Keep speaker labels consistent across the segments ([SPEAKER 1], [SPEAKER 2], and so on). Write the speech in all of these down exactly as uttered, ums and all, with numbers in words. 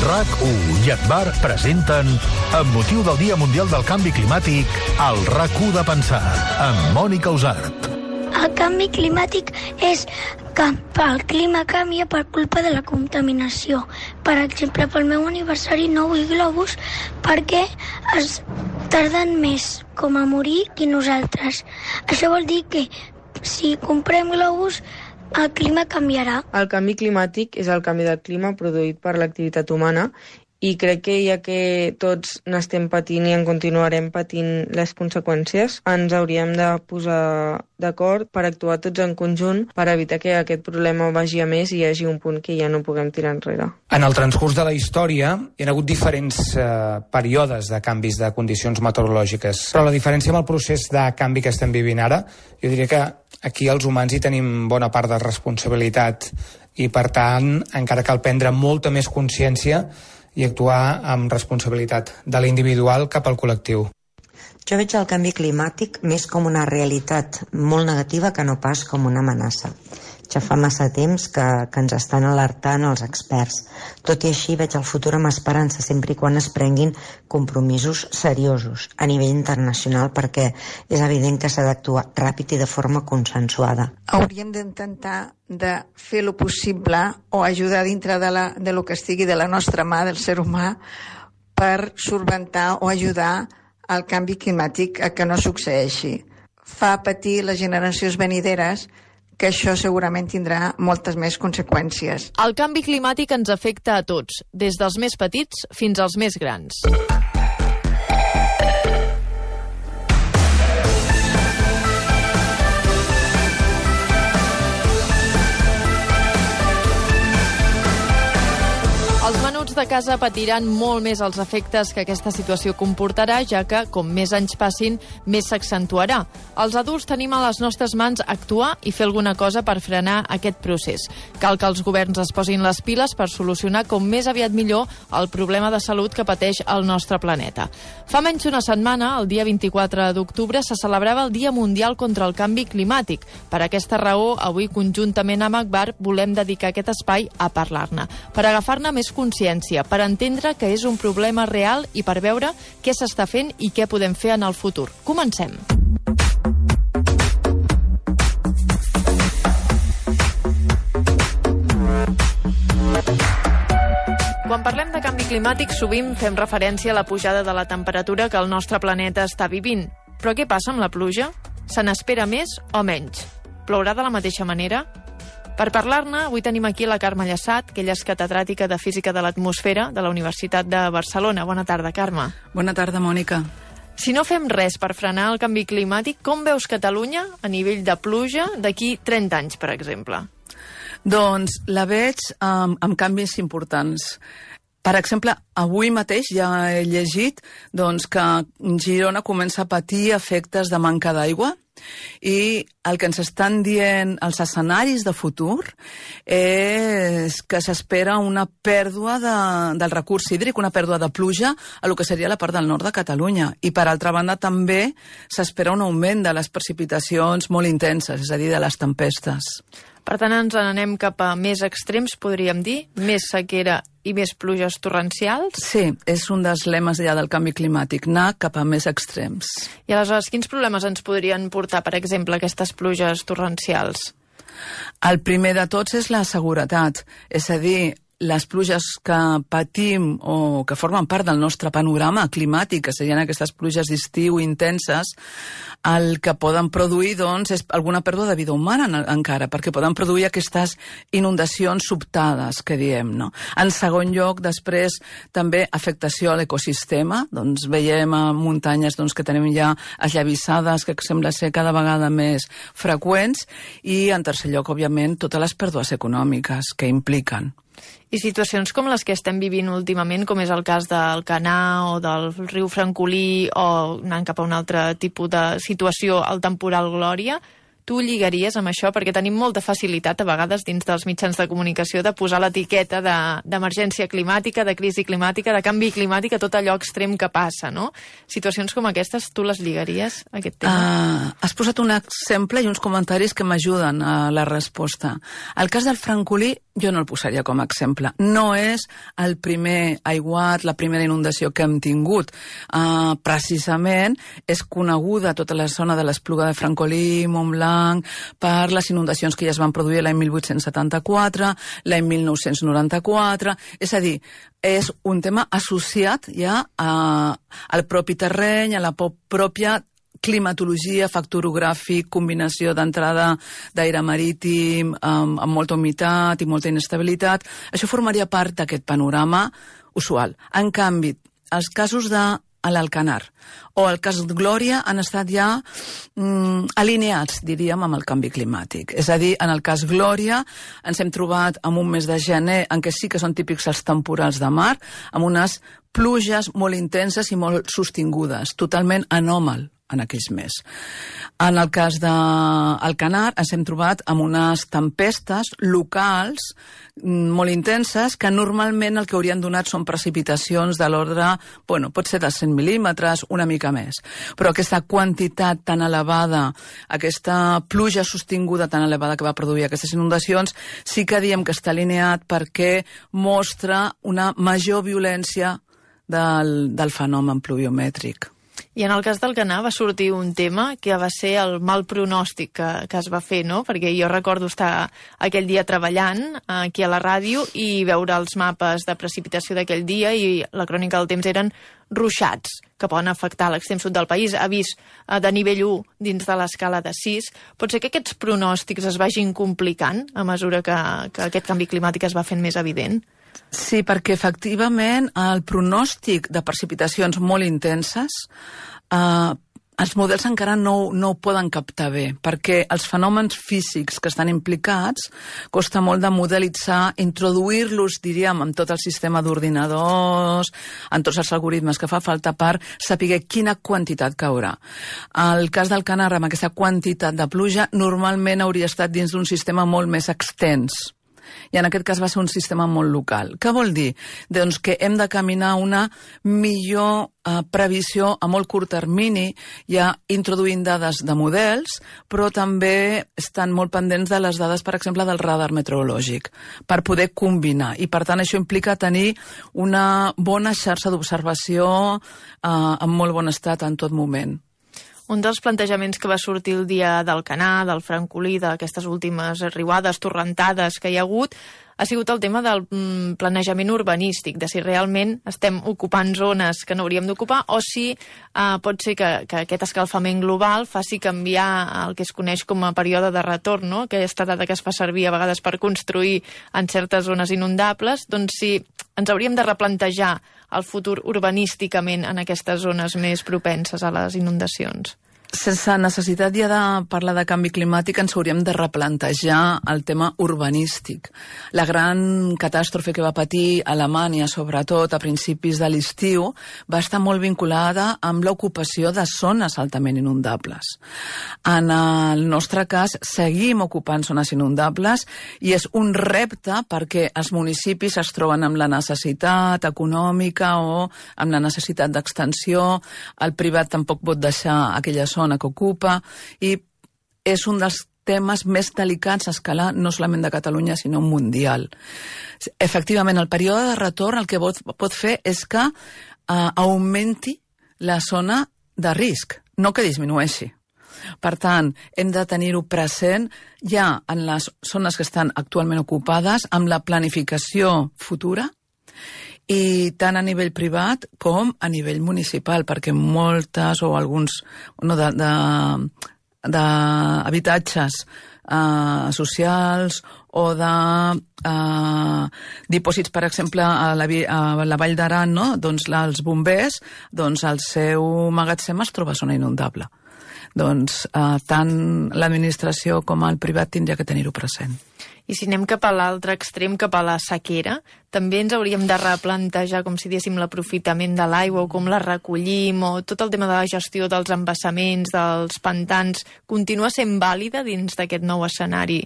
[SPEAKER 1] RAC u i Agbar presenten, amb motiu del Dia Mundial del Canvi Climàtic, el RAC u de pensar, amb Mònica Usart.
[SPEAKER 2] El canvi climàtic és que el clima canvia per culpa de la contaminació. Per exemple, pel meu aniversari no vull globus perquè es tarden més com a morir que nosaltres. Això vol dir que si comprem globus el clima canviarà.
[SPEAKER 3] El canvi climàtic és el canvi del clima produït per l'activitat humana i crec que ja que tots n'estem patint i en continuarem patint les conseqüències, ens hauríem de posar d'acord per actuar tots en conjunt per evitar que aquest problema vagi a més i hi hagi un punt que ja no puguem tirar enrere.
[SPEAKER 4] En el transcurs de la història hi ha hagut diferents eh, períodes de canvis de condicions meteorològiques, però la diferència amb el procés de canvi que estem vivint ara, jo diria que aquí els humans hi tenim bona part de responsabilitat i, per tant, encara cal prendre molta més consciència i actuar amb responsabilitat de l'individual cap al col·lectiu.
[SPEAKER 5] Jo veig el canvi climàtic més com una realitat molt negativa que no pas com una amenaça. Ja fa massa temps que, que ens estan alertant els experts. Tot i així veig el futur amb esperança sempre i quan es prenguin compromisos seriosos a nivell internacional, perquè és evident que s'ha d'actuar ràpid i de forma consensuada.
[SPEAKER 6] Hauríem d'intentar de fer lo possible o ajudar dintre de, la, de lo que estigui de la nostra mà, del ser humà, per solventar o ajudar al canvi climàtic a que no succeeixi. Fa patir les generacions venideres que això segurament tindrà moltes més conseqüències.
[SPEAKER 7] El canvi climàtic ens afecta a tots, des dels més petits fins als més grans. Els menuts de casa patiran molt més els efectes que aquesta situació comportarà, ja que, com més anys passin, més s'accentuarà. Els adults tenim a les nostres mans actuar i fer alguna cosa per frenar aquest procés. Cal que els governs es posin les piles per solucionar com més aviat millor el problema de salut que pateix el nostre planeta. Fa menys d'una setmana, el dia vint-i-quatre d'octubre, se celebrava el Dia Mundial contra el Canvi Climàtic. Per aquesta raó, avui, conjuntament amb Agbar, volem dedicar aquest espai a parlar-ne, per agafar-ne més consciència, per entendre que és un problema real i per veure què s'està fent i què podem fer en el futur. Comencem. Quan parlem de canvi climàtic, sovint fem referència a la pujada de la temperatura que el nostre planeta està vivint. Però què passa amb la pluja? Se n'espera més o menys? Plourà de la mateixa manera? Per parlar-ne, avui tenim aquí la Carme Llassat, que ella és catedràtica de Física de l'Atmosfera de la Universitat de Barcelona. Bona tarda, Carme.
[SPEAKER 8] Bona tarda, Mònica.
[SPEAKER 7] Si no fem res per frenar el canvi climàtic, com veus Catalunya a nivell de pluja d'aquí trenta anys, per exemple?
[SPEAKER 8] Doncs la veig amb, amb canvis importants. Per exemple, avui mateix ja he llegit doncs, que Girona comença a patir efectes de manca d'aigua, i el que ens estan dient els escenaris de futur és que s'espera una pèrdua de, del recurs hídric, una pèrdua de pluja a lo que seria la part del nord de Catalunya. I per altra banda també s'espera un augment de les precipitacions molt intenses, és a dir, de les tempestes.
[SPEAKER 7] Per tant, ens n'anem cap a més extrems, podríem dir? Més sequera i més pluges torrencials?
[SPEAKER 8] Sí, és un dels lemes ja del canvi climàtic, anar cap a més extrems.
[SPEAKER 7] I aleshores, quins problemes ens podrien portar, per exemple, aquestes pluges torrencials?
[SPEAKER 8] El primer de tots és la seguretat, és a dir, les pluges que patim o que formen part del nostre panorama climàtic, que serien aquestes pluges d'estiu intenses, el que poden produir doncs, és alguna pèrdua de vida humana encara, perquè poden produir aquestes inundacions sobtades, que diem, no? En segon lloc, després, també afectació a l'ecosistema. Doncs veiem a muntanyes doncs, que tenim ja esllavissades, que sembla ser cada vegada més freqüents, i en tercer lloc, òbviament, totes les pèrdues econòmiques que impliquen.
[SPEAKER 7] I situacions com les que estem vivint últimament, com és el cas del Canà o del riu Francolí, o anant cap a un altre tipus de situació, el temporal Glòria, tu lligaries amb això? Perquè tenim molta facilitat a vegades dins dels mitjans de comunicació de posar l'etiqueta d'emergència climàtica, de crisi climàtica, de canvi climàtic, a tot allò extrem que passa, no? Situacions com aquestes, tu les lligaries a aquest tema?
[SPEAKER 8] Uh, has posat un exemple i uns comentaris que m'ajuden a la resposta. El cas del francolí jo no el posaria com a exemple. No és el primer aiguat, la primera inundació que hem tingut. Uh, precisament és coneguda tota la zona de l'Espluga de Francolí, Montblanc, per les inundacions que ja es van produir l'any mil vuit-cents setanta-quatre, l'any mil nou-cents noranta-quatre... És a dir, és un tema associat ja a, al propi terreny, a la pròpia climatologia, factor orogràfic, combinació d'entrada d'aire marítim amb, amb molta humitat i molta inestabilitat. Això formaria part d'aquest panorama usual. En canvi, els casos de l'Alcanar o el cas de Glòria han estat ja mm, alineats, diríem, amb el canvi climàtic. És a dir, en el cas Glòria ens hem trobat en un mes de gener en què sí que són típics els temporals de mar, amb unes pluges molt intenses i molt sostingudes, totalment anòmal en aquells mesos. En el cas d'Alcanar ens hem trobat amb unes tempestes locals molt intenses que normalment el que haurien donat són precipitacions de l'ordre, bueno, pot ser de cent mil·límetres, una mica més. Però aquesta quantitat tan elevada, aquesta pluja sostinguda tan elevada que va produir aquestes inundacions, sí que diem que està alineat perquè mostra una major violència del, del fenomen pluviomètric.
[SPEAKER 7] I en el cas d'Alcanar va sortir un tema que va ser el mal pronòstic que, que es va fer, no? Perquè jo recordo estar aquell dia treballant aquí a la ràdio i veure els mapes de precipitació d'aquell dia i la crònica del temps eren ruixats, que poden afectar l'extrem sud del país, avís de nivell u dins de l'escala de sis. Pot ser que aquests pronòstics es vagin complicant a mesura que, que aquest canvi climàtic es va fent més evident?
[SPEAKER 8] Sí, perquè efectivament el pronòstic de precipitacions molt intenses eh, els models encara no, no ho poden captar bé, perquè els fenòmens físics que estan implicats costa molt de modelitzar, introduir-los, diríem, en tot el sistema d'ordinadors, en tots els algoritmes que fa falta per saber quina quantitat caurà. El cas del Canar, amb aquesta quantitat de pluja, normalment hauria estat dins d'un sistema molt més extens. I en aquest cas va ser un sistema molt local. Què vol dir? Doncs que hem de caminar una millor eh, previsió a molt curt termini, ja introduint dades de models, però també estan molt pendents de les dades, per exemple, del radar meteorològic, per poder combinar. I, per tant, això implica tenir una bona xarxa d'observació eh, en molt bon estat en tot moment.
[SPEAKER 7] Un dels plantejaments que va sortir el dia d'Alcanar, del Francolí, d'aquestes últimes riuades, torrentades que hi ha hagut, ha sigut el tema del planejament urbanístic, de si realment estem ocupant zones que no hauríem d'ocupar o si eh, pot ser que, que aquest escalfament global faci canviar el que es coneix com a període de retorn, no? Aquesta dada que es fa servir a vegades per construir en certes zones inundables, doncs si ens hauríem de replantejar el futur urbanísticament en aquestes zones més propenses a les inundacions.
[SPEAKER 8] Sense necessitat ja de parlar de canvi climàtic ens hauríem de replantejar el tema urbanístic. La gran catàstrofe que va patir Alemanya, sobretot a principis de l'estiu, va estar molt vinculada amb l'ocupació de zones altament inundables. En el nostre cas, seguim ocupant zones inundables i és un repte perquè els municipis es troben amb la necessitat econòmica o amb la necessitat d'extensió. El privat tampoc pot deixar aquella zona que ocupa i és un dels temes més delicats a escala no solament de Catalunya sinó mundial. Efectivament, el període de retorn el que pot, pot fer és que eh, augmenti la zona de risc, no que disminueixi. Per tant, hem de tenir-ho present ja en les zones que estan actualment ocupades amb la planificació futura i tant a nivell privat com a nivell municipal, perquè moltes o alguns no, de, de, de habitatges eh, socials o de eh, dipòsits, per exemple, a la, a la Vall d'Aran, no? Doncs els bombers, doncs el seu magatzem es troba a zona inundable. Doncs eh, tant l'administració com el privat tindria que tenir-ho present.
[SPEAKER 7] I si anem cap a l'altre extrem, cap a la sequera, també ens hauríem de replantejar, com si diéssim, l'aprofitament de l'aigua, o com la recollim, o tot el tema de la gestió dels embassaments, dels pantans, continua sent vàlida dins d'aquest nou escenari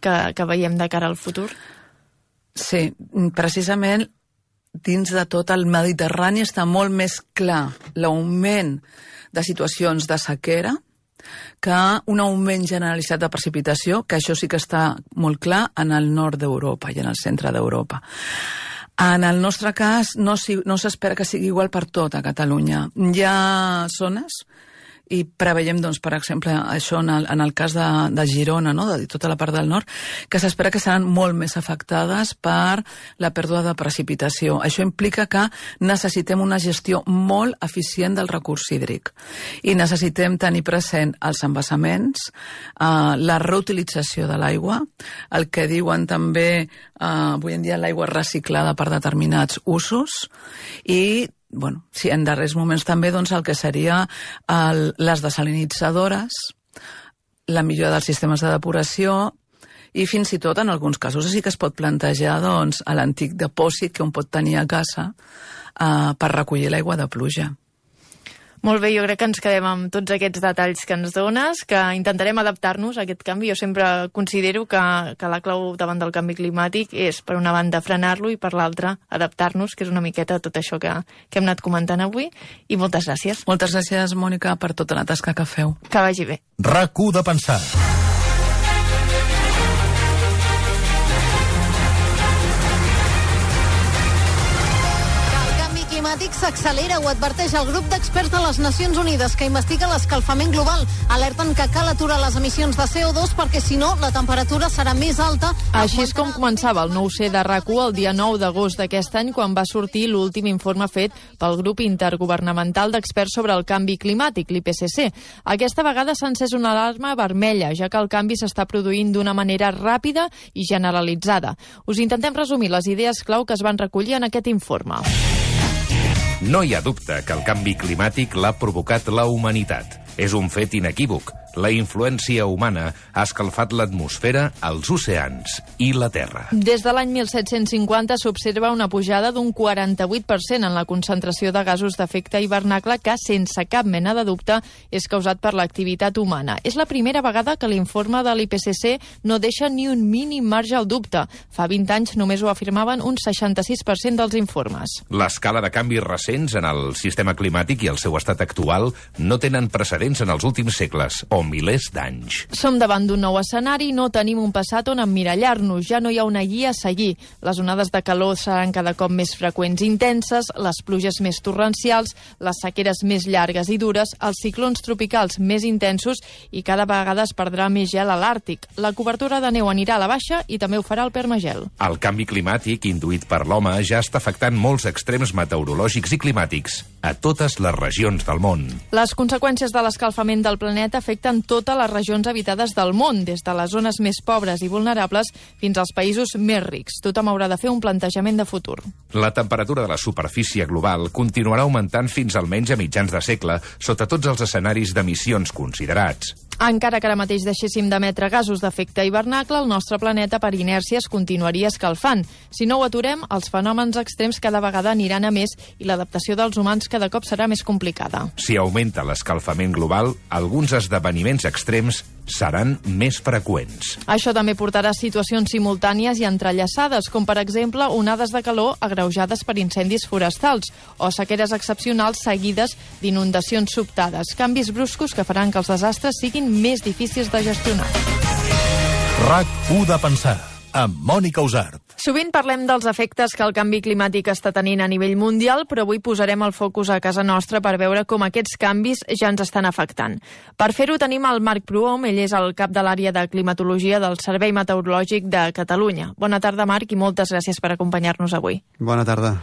[SPEAKER 7] que, que veiem de cara al futur?
[SPEAKER 8] Sí, precisament dins de tot el Mediterrani està molt més clar l'augment de situacions de sequera que un augment generalitzat de precipitació, que això sí que està molt clar en el nord d'Europa i en el centre d'Europa. En el nostre cas no, no s'espera que sigui igual per tot a Catalunya. Hi ha zones, i preveiem, doncs, per exemple, això en el, en el cas de, de Girona, no?, de tota la part del nord, que s'espera que seran molt més afectades per la pèrdua de precipitació. Això implica que necessitem una gestió molt eficient del recurs hídric i necessitem tenir present els embassaments, eh, la reutilització de l'aigua, el que diuen també eh, avui en dia l'aigua reciclada per determinats usos i bueno, sí, en darrers moments també doncs, el que seria el, les desalinitzadores, la millora dels sistemes de depuració i fins i tot en alguns casos sí que es pot plantejar doncs, a l'antic depòsit que un pot tenir a casa eh, per recollir l'aigua de pluja.
[SPEAKER 7] Molt bé, jo crec que ens quedem amb tots aquests detalls que ens dones, que intentarem adaptar-nos a aquest canvi. Jo sempre considero que, que la clau davant del canvi climàtic és, per una banda, frenar-lo i, per l'altra, adaptar-nos, que és una miqueta tot això que, que hem anat comentant avui. I moltes gràcies.
[SPEAKER 8] Moltes gràcies, Mònica, per tota la tasca que feu.
[SPEAKER 7] Que vagi bé.
[SPEAKER 1] RAC u de pensar.
[SPEAKER 9] climàtic s'accelera, ho adverteix el grup d'experts de les Nacions Unides que investiga l'escalfament global. Alerten que cal aturar les emissions de C O dos perquè, si no, la temperatura serà més alta.
[SPEAKER 7] Així és com començava el nou C de RAC u el dia nou d'agost d'aquest any, quan va sortir l'últim informe fet pel grup intergovernamental d'experts sobre el canvi climàtic, l'I P C C. Aquesta vegada s'ha encès una alarma vermella, ja que el canvi s'està produint d'una manera ràpida i generalitzada. Us intentem resumir les idees clau que es van recollir en aquest informe.
[SPEAKER 10] No hi ha dubte que el canvi climàtic l'ha provocat la humanitat. És un fet inequívoc. La influència humana ha escalfat l'atmosfera, els oceans i la Terra.
[SPEAKER 7] Des de l'any mil set-cents cinquanta s'observa una pujada d'un quaranta-vuit per cent en la concentració de gasos d'efecte hivernacle que, sense cap mena de dubte, és causat per l'activitat humana. És la primera vegada que l'informe de l'I P C C no deixa ni un mínim marge al dubte. Fa vint anys només ho afirmaven un seixanta-sis per cent dels informes.
[SPEAKER 10] L'escala de canvis recents en el sistema climàtic i el seu estat actual no tenen precedents en els últims segles o milers d'anys.
[SPEAKER 7] Som davant d'un nou escenari i no tenim un passat on emmirallar-nos. Ja no hi ha una guia a seguir. Les onades de calor seran cada cop més freqüents i intenses, les pluges més torrencials, les sequeres més llargues i dures, els ciclons tropicals més intensos i cada vegada es perdrà més gel a l'Àrtic. La cobertura de neu anirà a la baixa i també ho farà el permagel.
[SPEAKER 10] El canvi climàtic induït per l'home ja està afectant molts extrems meteorològics i climàtics a totes les regions del món.
[SPEAKER 7] Les conseqüències de l'escalfament del planeta afecten totes les regions habitades del món, des de les zones més pobres i vulnerables fins als països més rics. Tothom haurà de fer un plantejament de futur.
[SPEAKER 10] La temperatura de la superfície global continuarà augmentant fins almenys a mitjans de segle, sota tots els escenaris d'emissions considerats.
[SPEAKER 7] Encara que ara mateix deixéssim d'emetre gasos d'efecte hivernacle, el nostre planeta per inèrcia es continuaria escalfant. Si no ho aturem, els fenòmens extrems cada vegada aniran a més i l'adaptació dels humans cada cop serà més complicada.
[SPEAKER 10] Si augmenta l'escalfament global, alguns esdeveniments extrems seran més freqüents.
[SPEAKER 7] Això també portarà a situacions simultànies i entrellaçades, com per exemple onades de calor agreujades per incendis forestals o sequeres excepcionals seguides d'inundacions sobtades, canvis bruscos que faran que els desastres siguin més difícils de gestionar.
[SPEAKER 1] RAC u de pensar, amb Mònica Usart.
[SPEAKER 7] Sovint parlem dels efectes que el canvi climàtic està tenint a nivell mundial, però avui posarem el focus a casa nostra per veure com aquests canvis ja ens estan afectant. Per fer-ho tenim el Marc Prohom, ell és el cap de l'àrea de climatologia del Servei Meteorològic de Catalunya. Bona tarda, Marc, i moltes gràcies per acompanyar-nos avui.
[SPEAKER 11] Bona tarda.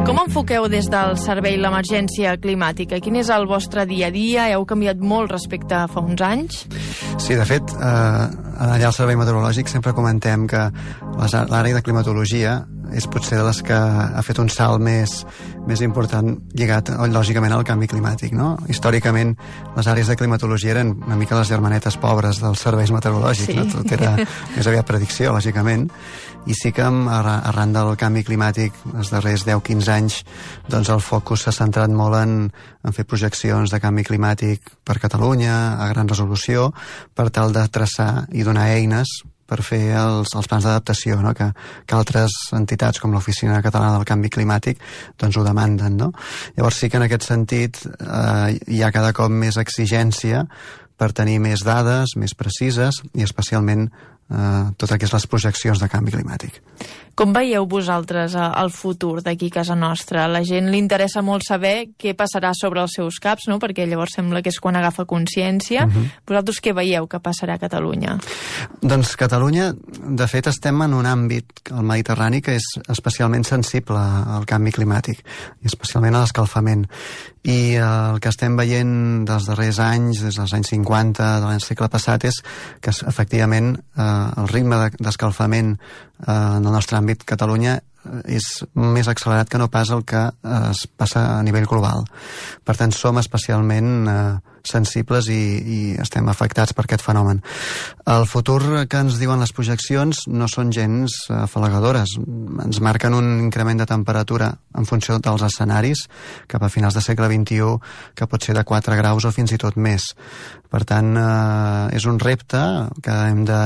[SPEAKER 7] Com enfoqueu des del servei l'emergència climàtica? Quin és el vostre dia a dia? Heu canviat molt respecte a fa uns anys?
[SPEAKER 11] Sí, de fet, eh, allà al Servei Meteorològic sempre comentem que l'àrea de climatologia és potser de les que ha fet un salt més, més important lligat, lògicament, al canvi climàtic, no? Històricament, les àrees de climatologia eren una mica les germanetes pobres dels serveis meteorològics, sí. No? Tot era més aviat predicció, lògicament, i sí que arran del canvi climàtic els darrers deu a quinze anys doncs el focus s'ha centrat molt en, en fer projeccions de canvi climàtic per Catalunya a gran resolució per tal de traçar i donar eines per fer els, els plans d'adaptació, no? que, que altres entitats com l'Oficina Catalana del Canvi Climàtic doncs ho demanden. No? Llavors sí que en aquest sentit eh, hi ha cada cop més exigència per tenir més dades, més precises i especialment eh, tot el que és les projeccions de canvi climàtic.
[SPEAKER 7] Com veieu vosaltres el futur d'aquí a casa nostra? A la gent li interessa molt saber què passarà sobre els seus caps, no? Perquè llavors sembla que és quan agafa consciència. Uh-huh. Vosaltres què veieu que passarà a Catalunya?
[SPEAKER 11] Doncs Catalunya, de fet, estem en un àmbit, el Mediterrani, que és especialment sensible al canvi climàtic, i especialment a l'escalfament. I el que estem veient dels darrers anys, des dels anys cinquanta del segle passat, és que efectivament eh, el ritme d'escalfament eh, en el nostre àmbit Catalunya és més accelerat que no pas el que es passa a nivell global. Per tant, som especialment eh, sensibles i, i estem afectats per aquest fenomen. El futur que ens diuen les projeccions no són gens afalagadores. Ens marquen un increment de temperatura en funció dels escenaris cap a finals del segle vint-i-u que pot ser de quatre graus o fins i tot més. Per tant, eh, és un repte que hem de,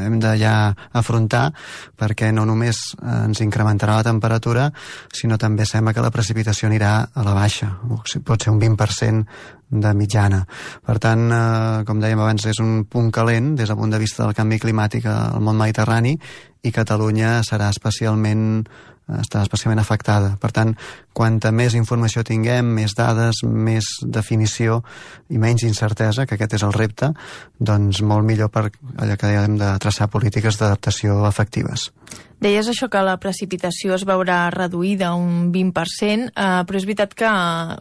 [SPEAKER 11] hem de ja afrontar perquè no només ens incrementarà la temperatura, sinó també sembla que la precipitació anirà a la baixa. Pot ser un vint per cent de mitjana. Per tant, eh, com dèiem abans, és un punt calent des del punt de vista del canvi climàtic al món mediterrani i Catalunya serà especialment està especialment afectada. Per tant, quanta més informació tinguem, més dades, més definició i menys incertesa, que aquest és el repte, doncs molt millor per allò que hem de traçar polítiques d'adaptació efectives.
[SPEAKER 7] Deies això que la precipitació es veurà reduïda un vint per cent, eh, però és veritat que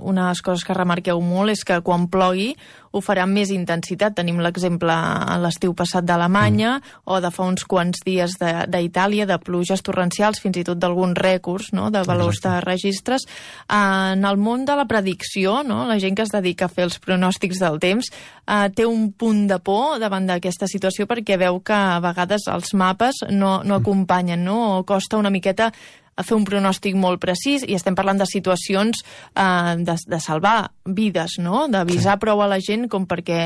[SPEAKER 7] una de les coses que remarqueu molt és que quan plogui ho farà amb més intensitat. Tenim l'exemple a l'estiu passat d'Alemanya mm. o de fa uns quants dies d'Itàlia, de, de pluges torrencials, fins i tot d'alguns rècords, no?, de valors Exacte. De registres. En el món de la predicció, no?, la gent que es dedica a fer els pronòstics del temps eh, té un punt de por davant d'aquesta situació perquè veu que a vegades els mapes no, no acompanyen, no? O costa una miqueta a fer un pronòstic molt precís, i estem parlant de situacions eh, de, de salvar vides, no? D'avisar sí. prou a la gent com perquè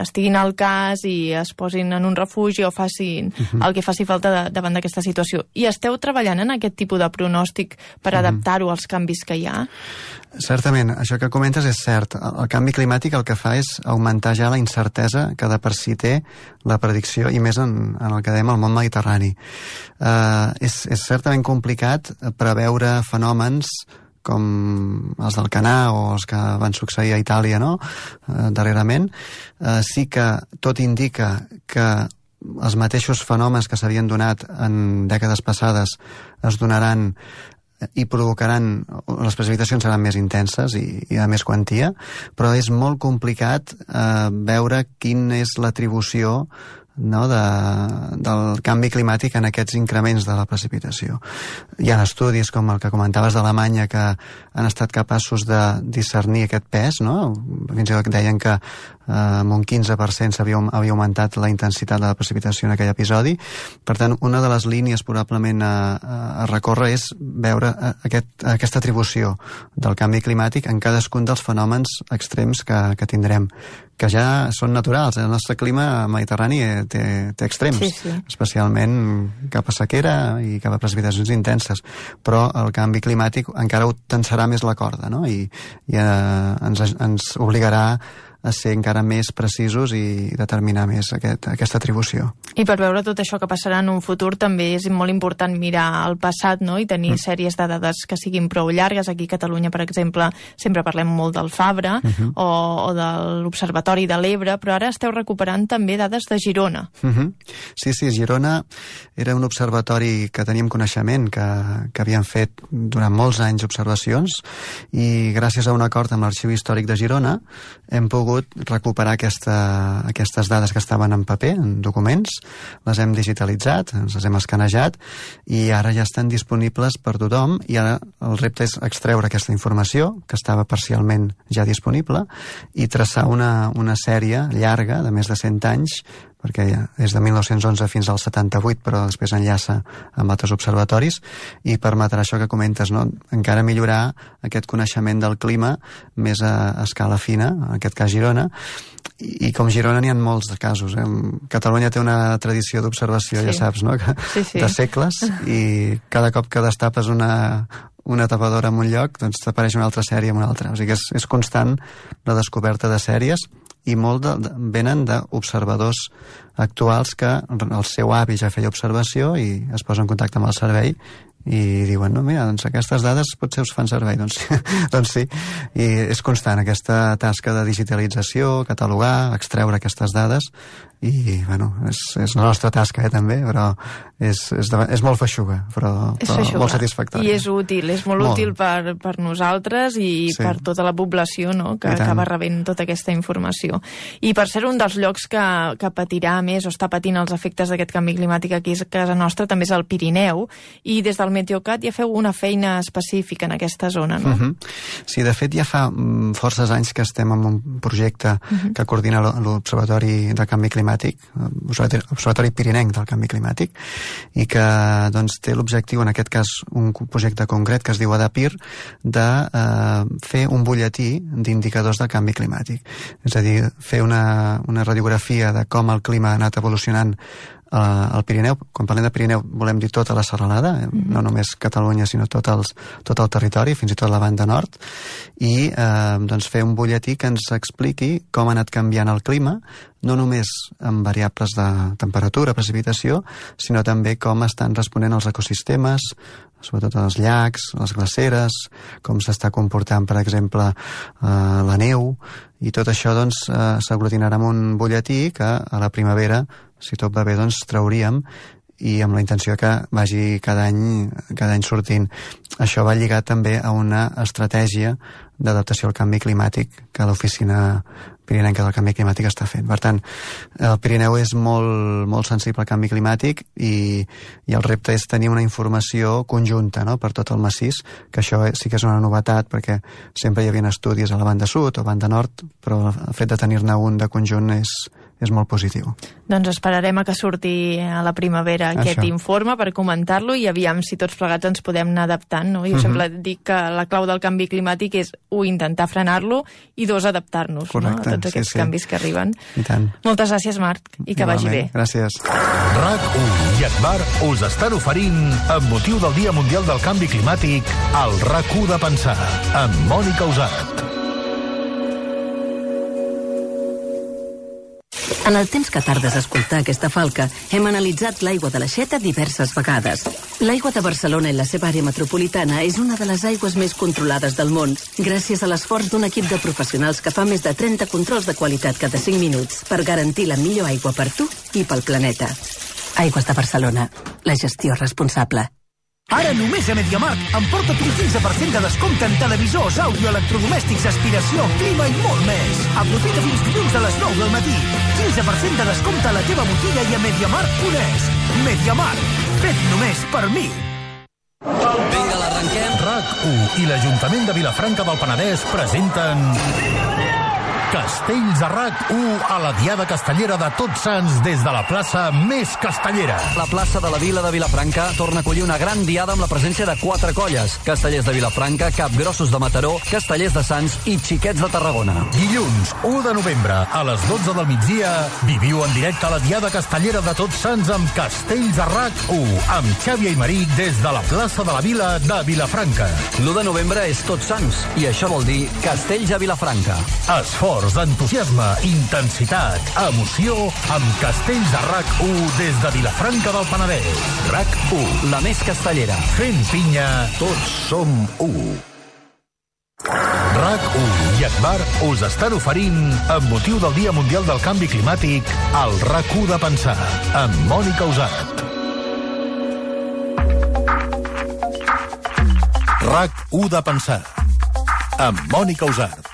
[SPEAKER 7] estiguin al cas i es posin en un refugi o facin uh-huh. el que faci falta de, davant d'aquesta situació. I esteu treballant en aquest tipus de pronòstic per uh-huh. adaptar-ho als canvis que hi ha?
[SPEAKER 11] Certament, això que comentes és cert. El canvi climàtic el que fa és augmentar ja la incertesa que de per si té la predicció, i més en, en el que dèiem el món mediterrani. Uh, és, és certament complicat preveure fenòmens com els del Canà o els que van succeir a Itàlia, no?, uh, darrerament. Uh, sí que tot indica que els mateixos fenòmens que s'havien donat en dècades passades es donaran i provocaran, les precipitacions seran més intenses i, i de més quantia, però és molt complicat eh, veure quina és l'atribució, no, de, del canvi climàtic en aquests increments de la precipitació. Hi ha estudis com el que comentaves d'Alemanya que han estat capaços de discernir aquest pes, no? Fins i tot deien que eh, amb un quinze per cent s'havia havia augmentat la intensitat de la precipitació en aquell episodi. Per tant, una de les línies probablement a, a recórrer és veure aquest, aquesta atribució del canvi climàtic en cadascun dels fenòmens extrems que, que tindrem, que ja són naturals. El nostre clima mediterrani té, té extrems, sí, sí. especialment cap a sequera i cap a precipitacions intenses, però el canvi climàtic encara ho tensarà més la corda, no? I, i eh, ens, ens obligarà a ser encara més precisos i determinar més aquest, aquesta atribució.
[SPEAKER 7] I per veure tot això que passarà en un futur també és molt important mirar el passat, no?, i tenir mm. sèries de dades que siguin prou llargues. Aquí a Catalunya, per exemple, sempre parlem molt del Fabra uh-huh. o, o de l'Observatori de l'Ebre, però ara esteu recuperant també dades de Girona.
[SPEAKER 11] Uh-huh. Sí, sí, Girona era un observatori que teníem coneixement, que, que havien fet durant molts anys observacions, i gràcies a un acord amb l'Arxiu Històric de Girona hem pogut recuperar aquesta, aquestes dades que estaven en paper, en documents, les hem digitalitzat, ens les hem escanejat i ara ja estan disponibles per tothom, i ara el repte és extreure aquesta informació, que estava parcialment ja disponible, i traçar una, una sèrie llarga de més de cent anys, perquè ja és de mil nou-cents onze fins al setanta-vuit, però després enllaça amb altres observatoris, i permetrà això que comentes, no? Encara millorar aquest coneixement del clima més a, a escala fina, en aquest cas Girona, i, i com Girona n'hi ha molts de casos. Eh? Catalunya té una tradició d'observació, sí. ja saps, no? Que, sí, sí. de segles, i cada cop que destapes una, una tapadora en un lloc, doncs t'apareix una altra sèrie en una altra. O sigui que és, és constant la descoberta de sèries, i molt de, de, venen d'observadors actuals que el seu avi ja feia observació i es posa en contacte amb el servei i diuen, no, mira, doncs aquestes dades potser us fan servei. Doncs, doncs sí, i és constant aquesta tasca de digitalització, catalogar, extreure aquestes dades, i, bueno, és, és la nostra tasca, eh, també, però és, és, de, és molt feixuga, però,
[SPEAKER 7] és
[SPEAKER 11] però
[SPEAKER 7] feixuga.
[SPEAKER 11] Molt satisfactòria.
[SPEAKER 7] I és útil, és molt, molt. útil per, per nosaltres i sí. per tota la població, no?, que acaba rebent tota aquesta informació. I per ser un dels llocs que, que patirà més o està patint els efectes d'aquest canvi climàtic aquí a casa nostra també és el Pirineu, i des del Meteocat ja feu una feina específica en aquesta zona, no?
[SPEAKER 11] Uh-huh. Sí, de fet ja fa um, forces anys que estem en un projecte uh-huh. que coordina l'Observatori de Canvi Climàtic, Observatori Pirinenc del Canvi Climàtic, i que doncs, té l'objectiu, en aquest cas un projecte concret que es diu ADAPIR, de eh, fer un butlletí d'indicadors del canvi climàtic. És a dir, fer una, una radiografia de com el clima ha anat evolucionant al Pirineu. Quan parlem de Pirineu volem dir tota la serralada, mm-hmm. no només Catalunya, sinó tot, els, tot el territori, fins i tot la banda nord, i eh, doncs fer un butlletí que ens expliqui com ha anat canviant el clima, no només amb variables de temperatura, precipitació, sinó també com estan responent els ecosistemes, sobretot els llacs, les glaceres, com s'està comportant, per exemple, eh, la neu, i tot això doncs, eh, s'aglutinarà en un butlletí que a la primavera, si tot va bé, doncs trauríem, i amb la intenció que vagi cada any, cada any sortint. Això va lligat també a una estratègia d'adaptació al canvi climàtic que l'Oficina Pirinenca del Canvi Climàtic està fent. Per tant, el Pirineu és molt, molt sensible al canvi climàtic, i, i el repte és tenir una informació conjunta, no?, per tot el massís, que això sí que és una novetat, perquè sempre hi havia estudis a la banda sud o banda nord, però el fet de tenir-ne un de conjunt és, és molt positiu.
[SPEAKER 7] Doncs esperarem a que surti a la primavera aquest Això. informe per comentar-lo, i aviam si tots plegats ens podem anar adaptant, no? Jo uh-huh. sempre dic que la clau del canvi climàtic és, un, intentar frenar-lo, i dos, adaptar-nos, no?, a tots aquests sí, sí. canvis que arriben.
[SPEAKER 11] I tant.
[SPEAKER 7] Moltes gràcies, Marc, i que
[SPEAKER 11] Igualment.
[SPEAKER 7] vagi bé.
[SPEAKER 11] Gràcies.
[SPEAKER 1] RAC u i Agbar us estan oferint, amb motiu del Dia Mundial del Canvi Climàtic, el RAC u de pensar, amb Mònica Usat.
[SPEAKER 12] En el temps que tardes a escoltar aquesta falca, hem analitzat l'aigua de l'Aixeta diverses vegades. L'aigua de Barcelona i la seva àrea metropolitana és una de les aigües més controlades del món, gràcies a l'esforç d'un equip de professionals que fa més de trenta controls de qualitat cada cinc minuts per garantir la millor aigua per tu i pel planeta. Aigües de Barcelona, la gestió responsable.
[SPEAKER 13] Ara només a MediaMarkt emporta't un quinze per cent de descompte en televisors, àudio, electrodomèstics, aspiració, clima i molt més. Aprofita fins dilluns a les nou del matí. quinze per cent de descompte a la teva botiga i a MediaMarkt punt es. MediaMarkt, fet només per mi.
[SPEAKER 14] Vinga, l'arrenquem.
[SPEAKER 1] RAC u i l'Ajuntament de Vilafranca del Penedès presenten Castells a RAC u a la Diada Castellera de Tots Sants des de la plaça més castellera.
[SPEAKER 14] La plaça de la Vila de Vilafranca torna a acollir una gran diada amb la presència de quatre colles: Castellers de Vilafranca, Capgrossos de Mataró, Castellers de Sants i Xiquets de Tarragona.
[SPEAKER 1] Dilluns, u de novembre, a les dotze del migdia, viviu en directe a la Diada Castellera de Tots Sants amb Castells a RAC u, amb Xavi Aymeric des de la plaça de la Vila de Vilafranca.
[SPEAKER 14] l'u de novembre és Tots Sants, i això vol dir Castells a Vilafranca.
[SPEAKER 1] Esforç, esports, entusiasme, intensitat, emoció, amb Castells de R A C u des de Vilafranca del Penedès. R A C u,
[SPEAKER 14] la més castellera.
[SPEAKER 1] Fent pinya, tots som u. R A C u i Agbar us estan oferint, amb motiu del Dia Mundial del Canvi Climàtic, el R A C u de pensar, amb Mònica Usart. R A C u de pensar, amb Mònica Usart.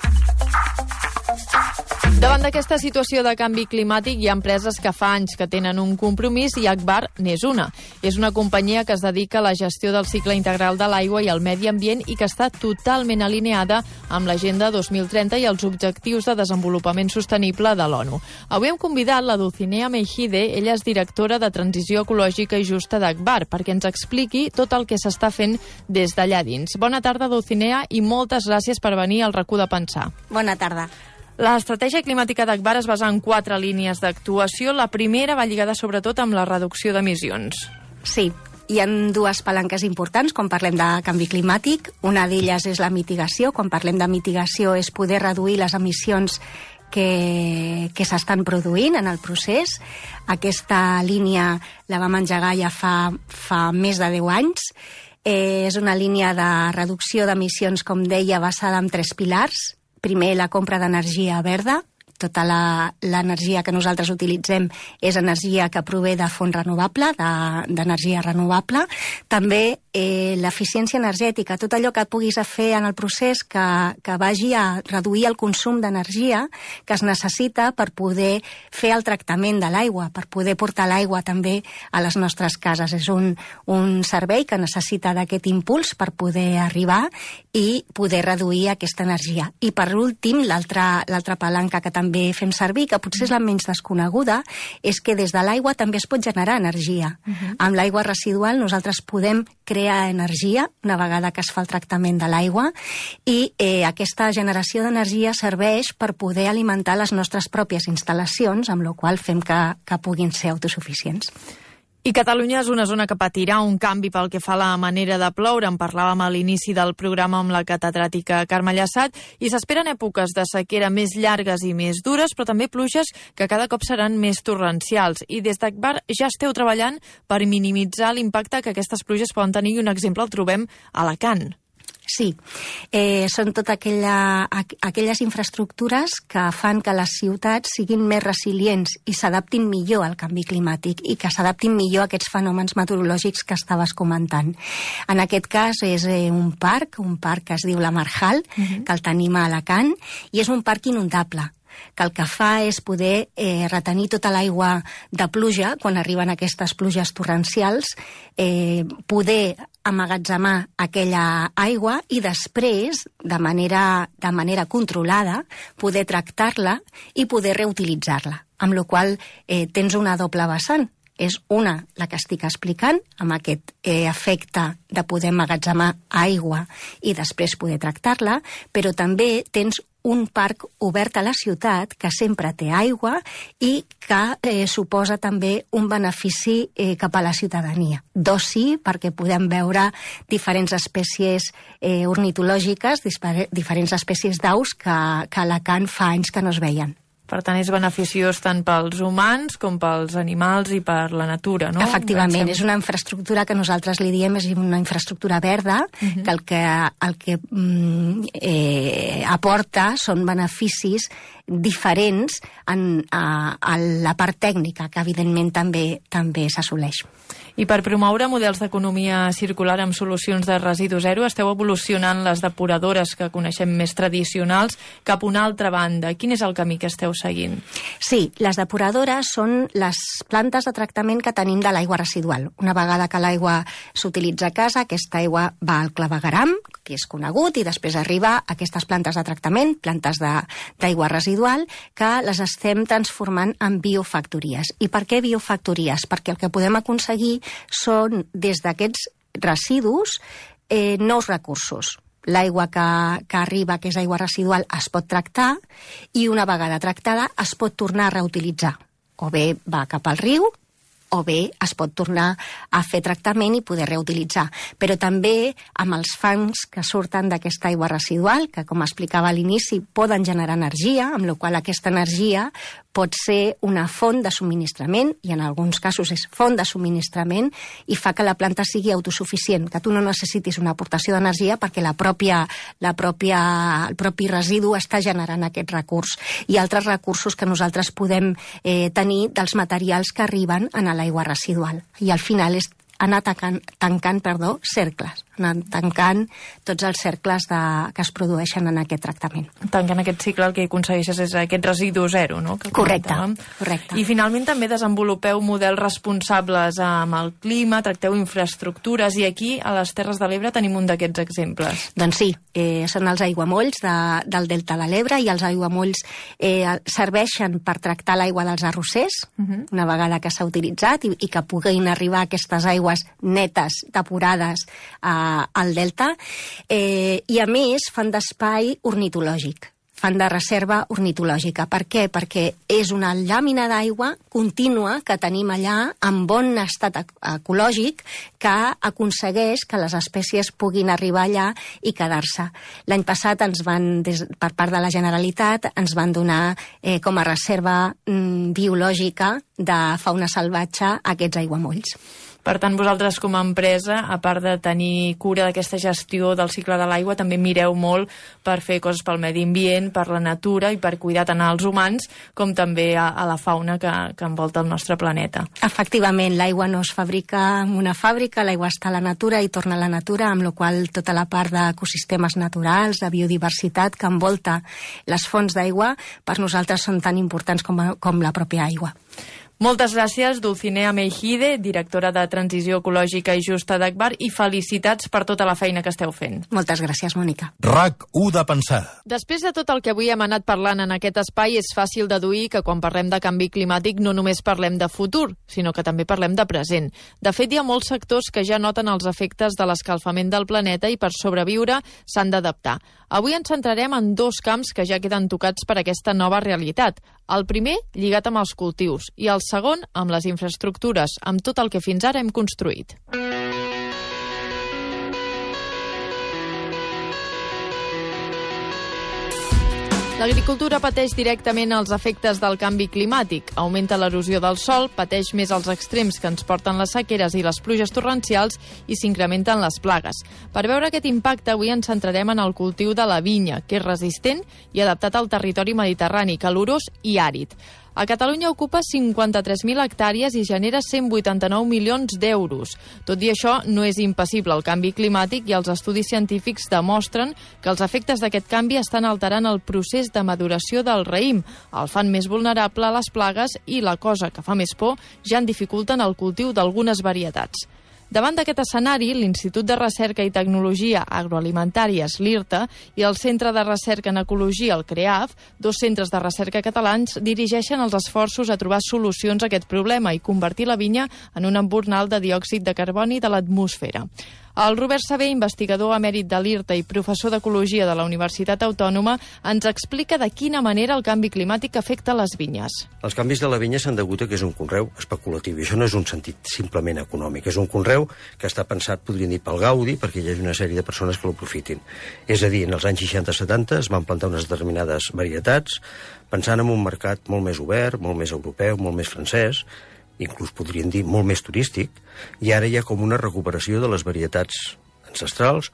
[SPEAKER 7] Davant d'aquesta situació de canvi climàtic hi ha empreses que fa anys que tenen un compromís i Agbar n'és una. És una companyia que es dedica a la gestió del cicle integral de l'aigua i el medi ambient i que està totalment alineada amb l'Agenda dos mil trenta i els Objectius de Desenvolupament Sostenible de l'ONU. Avui hem convidat la Dulcinea Meijide, ella és directora de Transició Ecològica i Justa d'Agbar, perquè ens expliqui tot el que s'està fent des d'allà dins. Bona tarda, Dulcinea, i moltes gràcies per venir al R A C u de pensar.
[SPEAKER 15] Bona tarda.
[SPEAKER 7] L'estratègia climàtica d'Agbar es basa en quatre línies d'actuació. La primera va lligada sobretot amb la reducció d'emissions.
[SPEAKER 15] Sí, hi ha dues palanques importants quan parlem de canvi climàtic. Una d'elles és la mitigació. Quan parlem de mitigació és poder reduir les emissions que, que s'estan produint en el procés. Aquesta línia la vam engegar ja fa, fa més de deu anys. Eh, és una línia de reducció d'emissions, com deia, basada en tres pilars. Primer, la compra d'energia verda. Tota l'energia que nosaltres utilitzem és energia que prové de font renovable, d'energia renovable. També eh, l'eficiència energètica, tot allò que puguis fer en el procés que, que vagi a reduir el consum d'energia que es necessita per poder fer el tractament de l'aigua, per poder portar l'aigua també a les nostres cases. És un, un servei que necessita d'aquest impuls per poder arribar i poder reduir aquesta energia. I per últim, l'altra l'altra palanca que també també fem servir, que potser és la menys desconeguda, és que des de l'aigua també es pot generar energia. Uh-huh. Amb l'aigua residual nosaltres podem crear energia una vegada que es fa el tractament de l'aigua i eh, aquesta generació d'energia serveix per poder alimentar les nostres pròpies instal·lacions, amb la qual fem que, que puguin ser autosuficients.
[SPEAKER 7] I Catalunya és una zona que patirà un canvi pel que fa a la manera de ploure. En parlàvem a l'inici del programa amb la catedràtica Carme Llassat i s'esperen èpoques de sequera més llargues i més dures, però també pluges que cada cop seran més torrencials. I des d'Agbar ja esteu treballant per minimitzar l'impacte que aquestes pluges poden tenir i un exemple el trobem a Alacant.
[SPEAKER 15] Sí, eh, són totes aquella, aquelles infraestructures que fan que les ciutats siguin més resilients i s'adaptin millor al canvi climàtic i que s'adaptin millor a aquests fenòmens meteorològics que estaves comentant. En aquest cas és eh, un parc, un parc que es diu la Marjal, uh-huh. que el tenim a Alacant, i és un parc inundable, que el que fa és poder eh, retenir tota l'aigua de pluja, quan arriben aquestes pluges torrencials, eh, poder amagatzemar aquella aigua i després, de manera, de manera controlada, poder tractar-la i poder reutilitzar-la. Amb la qual cosa eh, tens una doble vessant. És una, la que estic explicant, amb aquest eh, efecte de poder emmagatzemar aigua i després poder tractar-la, però també tens un parc obert a la ciutat que sempre té aigua i que eh, suposa també un benefici eh, cap a la ciutadania. D'oci, perquè podem veure diferents espècies eh, ornitològiques, diferents espècies d'aus que, que a Alacant fa anys que no es veien.
[SPEAKER 7] Per tant, és beneficiós tant pels humans com pels animals i per la natura, no?
[SPEAKER 15] Efectivament, és una infraestructura que nosaltres li diem és una infraestructura verda, uh-huh. que el que, el que mm, eh, aporta són beneficis diferents en, a, a la part tècnica, que evidentment també també s'assoleix.
[SPEAKER 7] I per promoure models d'economia circular amb solucions de residu zero, esteu evolucionant les depuradores que coneixem més tradicionals cap a una altra banda. Quin és el camí que esteu seguint?
[SPEAKER 15] Sí, les depuradores són les plantes de tractament que tenim de l'aigua residual. Una vegada que l'aigua s'utilitza a casa, aquesta aigua va al clavegueram, que és conegut, i després arriba a aquestes plantes de tractament, plantes d'aigua residual, que les estem transformant en biofactories. I per què biofactories? Perquè el que podem aconseguir són, des d'aquests residus, eh, nous recursos. L'aigua que, que arriba, que és aigua residual, es pot tractar i una vegada tractada es pot tornar a reutilitzar. O bé va cap al riu, o bé es pot tornar a fer tractament i poder reutilitzar. Però també amb els fangs que surten d'aquesta aigua residual, que com explicava a l'inici poden generar energia, amb la qual aquesta energia pot ser una font de subministrament, i en alguns casos és font de subministrament, i fa que la planta sigui autosuficient, que tu no necessitis una aportació d'energia perquè la pròpia, la pròpia, el propi residu està generant aquest recurs. I altres recursos que nosaltres podem eh, tenir dels materials que arriben a l'aigua residual. I al final és anar tancant, tancant perdó, cercles, anar tancant tots els cercles de, que es produeixen en aquest tractament.
[SPEAKER 7] Tancant aquest cicle el que aconsegueixes és aquest residu zero, no? Que
[SPEAKER 15] correcte, correcte.
[SPEAKER 7] I finalment també desenvolupeu models responsables amb el clima, tracteu infraestructures, i aquí a les Terres de l'Ebre tenim un d'aquests exemples.
[SPEAKER 15] Doncs sí, eh, són els aiguamolls de, del Delta de l'Ebre, i els aiguamolls eh, serveixen per tractar l'aigua dels arrossers, uh-huh. una vegada que s'ha utilitzat, i, i que puguin arribar aquestes aigües netes, depurades eh, al delta, eh, i a més fan d'espai ornitològic, fan de reserva ornitològica. Per què? Perquè és una làmina d'aigua contínua que tenim allà en bon estat ecològic que aconsegueix que les espècies puguin arribar allà i quedar-se. L'any passat ens van, des, per part de la Generalitat, ens van donar eh, com a reserva mm, biològica de fauna salvatge aquests aiguamolls.
[SPEAKER 7] Per tant, vosaltres com a empresa, a part de tenir cura d'aquesta gestió del cicle de l'aigua, també mireu molt per fer coses pel medi ambient, per la natura i per cuidar tant als humans com també a, a la fauna que, que envolta el nostre planeta.
[SPEAKER 15] Efectivament, l'aigua no es fabrica en una fàbrica, l'aigua està a la natura i torna a la natura, amb la qual cosa tota la part d'ecosistemes naturals, de biodiversitat que envolta les fonts d'aigua, per nosaltres són tan importants com, a, com la pròpia aigua.
[SPEAKER 7] Moltes gràcies, Dulcinea Meijide, directora de Transició Ecològica i Justa d'Agbar, i felicitats per tota la feina que esteu fent.
[SPEAKER 15] Moltes gràcies, Mònica.
[SPEAKER 1] RAC u de pensar.
[SPEAKER 7] Després de tot el que avui hem anat parlant en aquest espai, és fàcil deduir que quan parlem de canvi climàtic no només parlem de futur, sinó que també parlem de present. De fet, hi ha molts sectors que ja noten els efectes de l'escalfament del planeta i per sobreviure s'han d'adaptar. Avui ens centrarem en dos camps que ja queden tocats per aquesta nova realitat. El primer, lligat amb els cultius, i el segon, amb les infraestructures, amb tot el que fins ara hem construït. L'agricultura pateix directament els efectes del canvi climàtic. Augmenta l'erosió del sòl, pateix més els extrems que ens porten les sequeres i les pluges torrencials i s'incrementen les plagues. Per veure aquest impacte, avui ens centrarem en el cultiu de la vinya, que és resistent i adaptat al territori mediterrani, calorós i àrid. A Catalunya ocupa cinquanta-tres mil hectàrees i genera cent vuitanta-nou milions d'euros. Tot i això, no és impassible el canvi climàtic i els estudis científics demostren que els efectes d'aquest canvi estan alterant el procés de maduració del raïm, el fan més vulnerable a les plagues i, la cosa que fa més por, ja en dificulten el cultiu d'algunes varietats. Davant d'aquest escenari, l'Institut de Recerca i Tecnologia Agroalimentàries, l'IRTA, i el Centre de Recerca en Ecologia, el CREAF, dos centres de recerca catalans, dirigeixen els esforços a trobar solucions a aquest problema i convertir la vinya en un embornal de diòxid de carboni de l'atmosfera. El Robert Sabé, investigador emèrit de l'IRTA i professor d'Ecologia de la Universitat Autònoma, ens explica de quina manera el canvi climàtic afecta les vinyes.
[SPEAKER 16] Els canvis de la vinya s'han degut a que és un conreu especulatiu, i això no és un sentit simplement econòmic, és un conreu que està pensat, podríem dir, pel gaudi, perquè hi ha una sèrie de persones que l'aprofitin. És a dir, en els anys seixanta setanta es van plantar unes determinades varietats, pensant en un mercat molt més obert, molt més europeu, molt més francès, inclús podríem dir molt més turístic, i ara hi ha com una recuperació de les varietats ancestrals,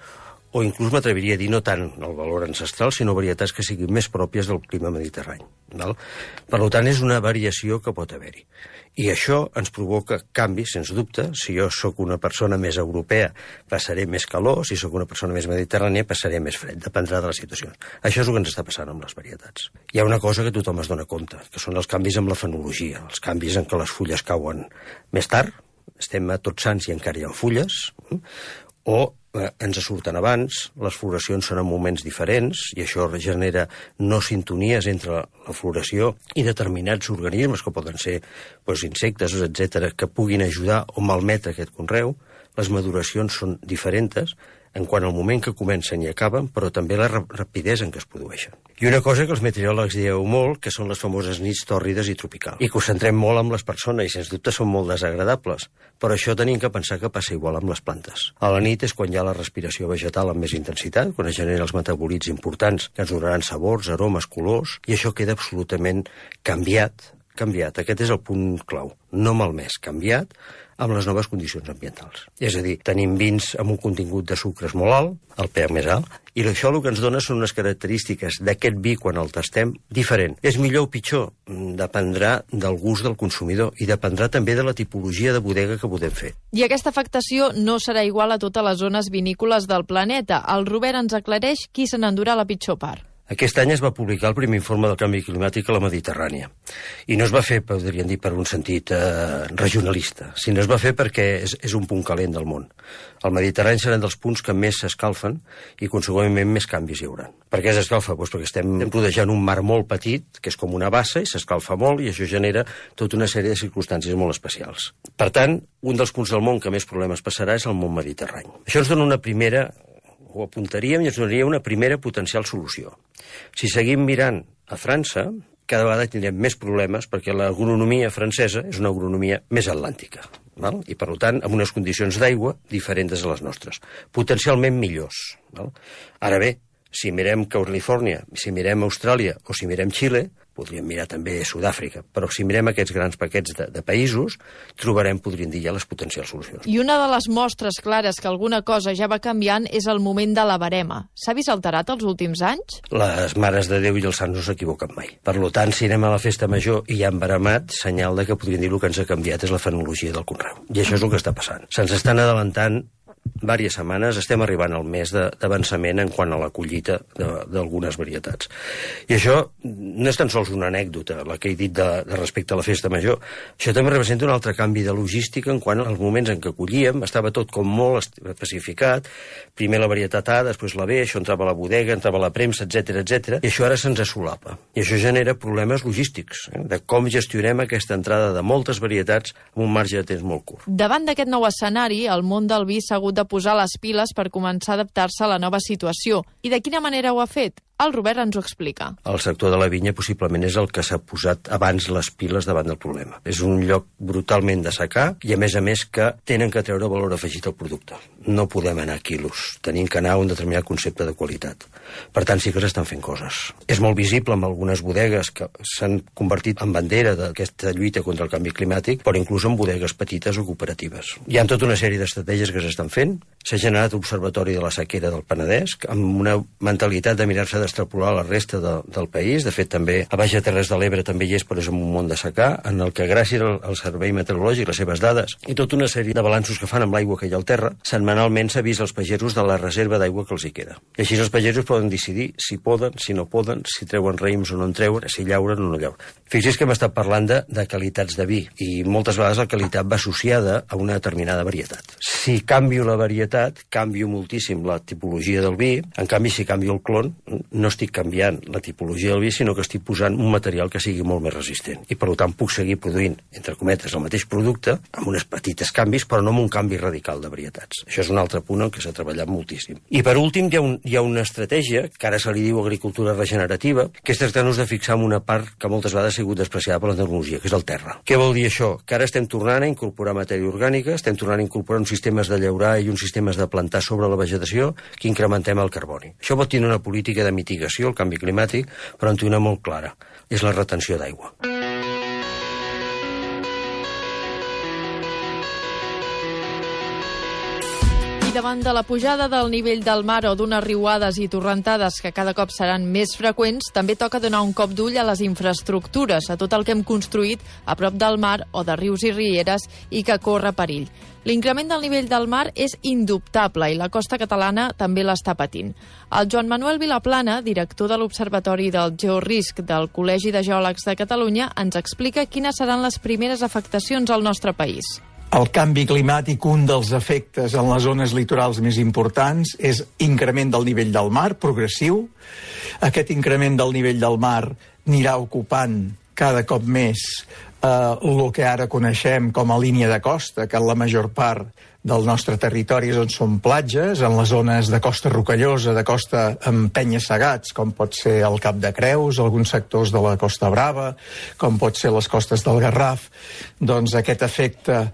[SPEAKER 16] o inclús m'atreviria a dir no tant el valor ancestral, sinó varietats que siguin més pròpies del clima mediterrani. Val? Per tant, és una variació que pot haver-hi. I això ens provoca canvis, sens dubte. Si jo sóc una persona més europea, passaré més calor, si sóc una persona més mediterrània, passaré més fred, dependrà de les situacions. Això és el que ens està passant amb les varietats. Hi ha una cosa que tothom es dona compte, que són els canvis amb la fenologia, els canvis en què les fulles cauen més tard, estem a Tots Sants i encara hi ha fulles, o eh, ens surten abans, les floracions són en moments diferents, i això genera no sintonies entre la floració i determinats organismes, que poden ser doncs, insectes, etcètera, que puguin ajudar o malmetre aquest conreu. Les maduracions són diferents. en quant al moment que comencen i acaben, però també la rapidesa en què es produeixen. I una cosa que els meteoròlegs dieu molt, que són les famoses nits tòrrides i tropicals, i que ho centrem molt amb les persones, i sens dubte són molt desagradables, però això tenim que pensar que passa igual amb les plantes. A la nit és quan hi ha la respiració vegetal amb més intensitat, quan es generen els metabolits importants que ens donaran sabors, aromes, colors, i això queda absolutament canviat, canviat. Aquest és el punt clau. No malmès, canviat amb les noves condicions ambientals. És a dir, tenim vins amb un contingut de sucres molt alt, el pH més alt, i això el que ens dona són unes característiques d'aquest vi quan el tastem diferent. És millor o pitjor? Dependrà del gust del consumidor i dependrà també de la tipologia de bodega que podem fer.
[SPEAKER 7] I aquesta afectació no serà igual a totes les zones vinícoles del planeta. El Robert ens aclareix qui se n'endurà la pitjor part.
[SPEAKER 16] Aquest any es va publicar el primer informe del canvi climàtic a la Mediterrània. I no es va fer, podríem dir, per un sentit eh, regionalista, sinó es va fer perquè és, és un punt calent del món. El Mediterrani serà dels punts que més s'escalfen i, consegüentment, més canvis hi haurà. Per què s'escalfa? Doncs perquè estem rodejant un mar molt petit, que és com una bassa, i s'escalfa molt, i això genera tota una sèrie de circumstàncies molt especials. Per tant, un dels punts del món que més problemes passarà és el món mediterrani. Això ens dona una primera... ho apuntaríem i ens donaria una primera potencial solució. Si seguim mirant a França, cada vegada tindrem més problemes perquè l'agronomia francesa és una agronomia més atlàntica, val? I, per tant, amb unes condicions d'aigua diferents de les nostres, potencialment millors. Val? Ara bé, si mirem Califòrnia, si mirem Austràlia o si mirem Xile, podríem mirar també Sud-àfrica, però si mirem aquests grans paquets de, de països, trobarem, podríem dir, ja les potencials solucions.
[SPEAKER 7] I una de les mostres clares que alguna cosa ja va canviant és el moment de la barema. S'ha vist alterat els últims anys?
[SPEAKER 16] Les mares de Déu i els sants no s'equivoquen mai. Per tant, si anem a la festa major i hi ha baremat, senyal de que podríem dir el que ens ha canviat és la fenologia del conreu. I això és el que està passant. Se'ns estan adelantant diverses setmanes, estem arribant al mes d'avançament en quant a la collita d'algunes varietats. I això no és tan sols una anècdota, la que he dit de, de respecte a la festa major. Això també representa un altre canvi de logística en quant als moments en què collíem, estava tot com molt especificat, primer la varietat A, després la B, això entrava a la bodega, entrava a la premsa, etcètera, etcètera, i això ara se'ns solapa. I això genera problemes logístics, eh, de com gestionem aquesta entrada de moltes varietats amb un marge de temps molt curt.
[SPEAKER 7] Davant d'aquest nou escenari, el món del vi s'ha hagut de posar les piles per començar a adaptar-se a la nova situació. I de quina manera ho ha fet? El Robert ens ho explica.
[SPEAKER 16] El sector de la vinya possiblement és el que s'ha posat abans les piles davant del problema. És un lloc brutalment de secar i, a més a més, que tenen que treure valor afegit al producte. No podem anar a quilos, tenim que anar a un determinat concepte de qualitat. Per tant, sí que s'estan fent coses. És molt visible amb algunes bodegues que s'han convertit en bandera d'aquesta lluita contra el canvi climàtic, però inclús en bodegues petites o cooperatives. Hi ha tota una sèrie d'estratègies que s'estan fent. S'ha generat l'Observatori de la Sequera del Penedès, amb una mentalitat de mirar-se d'extrapolar la resta de, del país. De fet, també a Baix Terres de l'Ebre també hi és, però és un món de secà, en el que gràcies al, al Servei Meteorològic, les seves dades i tota una sèrie de balanços que fan amb l'aigua que hi ha al terra, setmanalment s'avisa als pagesos de la reserva d'aigua que els hi queda. I així els pagesos poden decidir si poden, si no poden, si treuen raïms o no en treuen, si llauren o no llauren. Fixi's que hem estat parlant de, de qualitats de vi, i moltes vegades la qualitat va associada a una determinada varietat. Si canvio la varietat, canvio moltíssim la tipologia del vi. En canvi, si canvio el clon, no estic canviant la tipologia del vi, sinó que estic posant un material que sigui molt més resistent. I, per tant, puc seguir produint, entre cometes, el mateix producte, amb uns petits canvis, però no amb un canvi radical de varietats. Això és un altre punt en què s'ha treballat moltíssim. I, per últim, hi ha, un, hi ha una estratègia, que ara se li diu agricultura regenerativa, que és tractar-nos de fixar en una part que moltes vegades ha sigut despreciada per la tecnologia, que és el terra. Què vol dir això? Que ara estem tornant a incorporar matèria orgànica, estem tornant a incorporar uns sistemes de llaurar i uns sistemes de plantar sobre la vegetació que incrementem el carboni. Això pot tenir una política de mitigació, el canvi climàtic, però en té una molt clara. És la retenció d'aigua.
[SPEAKER 7] Davant de la pujada del nivell del mar o d'unes riuades i torrentades que cada cop seran més freqüents, també toca donar un cop d'ull a les infraestructures, a tot el que hem construït a prop del mar o de rius i rieres i que corre perill. L'increment del nivell del mar és indubtable i la costa catalana també l'està patint. El Joan Manuel Vilaplana, director de l'Observatori del Georisc del Col·legi de Geòlegs de Catalunya, ens explica quines seran les primeres afectacions al nostre país.
[SPEAKER 17] El canvi climàtic, un dels efectes en les zones litorals més importants és increment del nivell del mar, progressiu. Aquest increment del nivell del mar anirà ocupant cada cop més eh, el que ara coneixem com a línia de costa, que en la major part del nostre territori és on són platges, en les zones de costa rocallosa, de costa amb penya-segats, com pot ser el Cap de Creus, alguns sectors de la Costa Brava, com pot ser les costes del Garraf, doncs aquest efecte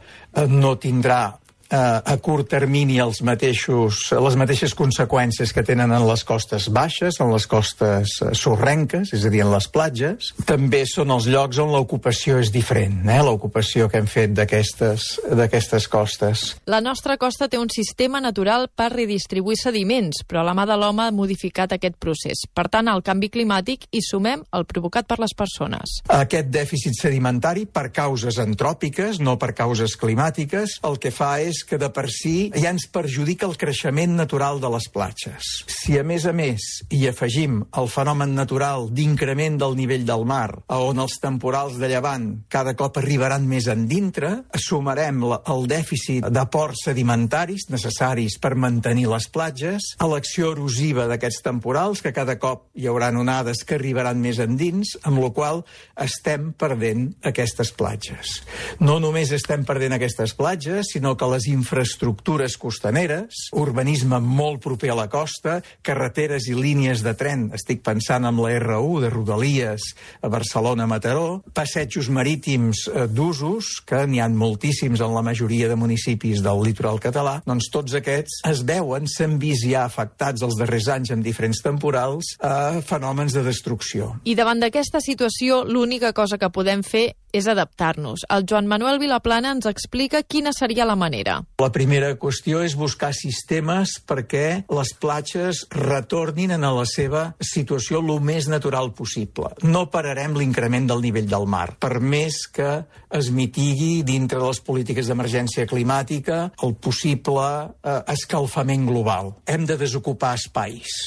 [SPEAKER 17] no tindrà a curt termini els mateixos, les mateixes conseqüències que tenen en les costes baixes, en les costes sorrenques, és a dir, en les platges. També són els llocs on l'ocupació és diferent, eh? l'ocupació que hem fet d'aquestes costes.
[SPEAKER 7] La nostra costa té un sistema natural per redistribuir sediments, però la mà de l'home ha modificat aquest procés. Per tant, al canvi climàtic hi sumem el provocat per les persones.
[SPEAKER 17] Aquest dèficit sedimentari, per causes antròpiques, no per causes climàtiques, el que fa és que de per si ja ens perjudica el creixement natural de les platges. Si a més a més hi afegim el fenomen natural d'increment del nivell del mar, on els temporals de llevant cada cop arribaran més endintre, sumarem el dèficit d'aports sedimentaris necessaris per mantenir les platges, a l'acció erosiva d'aquests temporals, que cada cop hi haurà onades que arribaran més endins, amb la qual estem perdent aquestes platges. No només estem perdent aquestes platges, sinó que les infraestructures costaneres, urbanisme molt proper a la costa, carreteres i línies de tren, estic pensant en la erre u de Rodalies a Barcelona-Mataró, passejos marítims d'usos, que n'hi ha moltíssims en la majoria de municipis del litoral català, doncs tots aquests es veuen, s'han vist ja afectats els darrers anys amb diferents temporals a fenòmens de destrucció.
[SPEAKER 7] I davant d'aquesta situació, l'única cosa que podem fer és adaptar-nos. El Joan Manuel Vilaplana ens explica quina seria la manera.
[SPEAKER 17] La primera qüestió és buscar sistemes perquè les platges retornin a la seva situació el més natural possible. No pararem l'increment del nivell del mar, per més que es mitigui dintre de les polítiques d'emergència climàtica el possible eh, escalfament global. Hem de desocupar espais.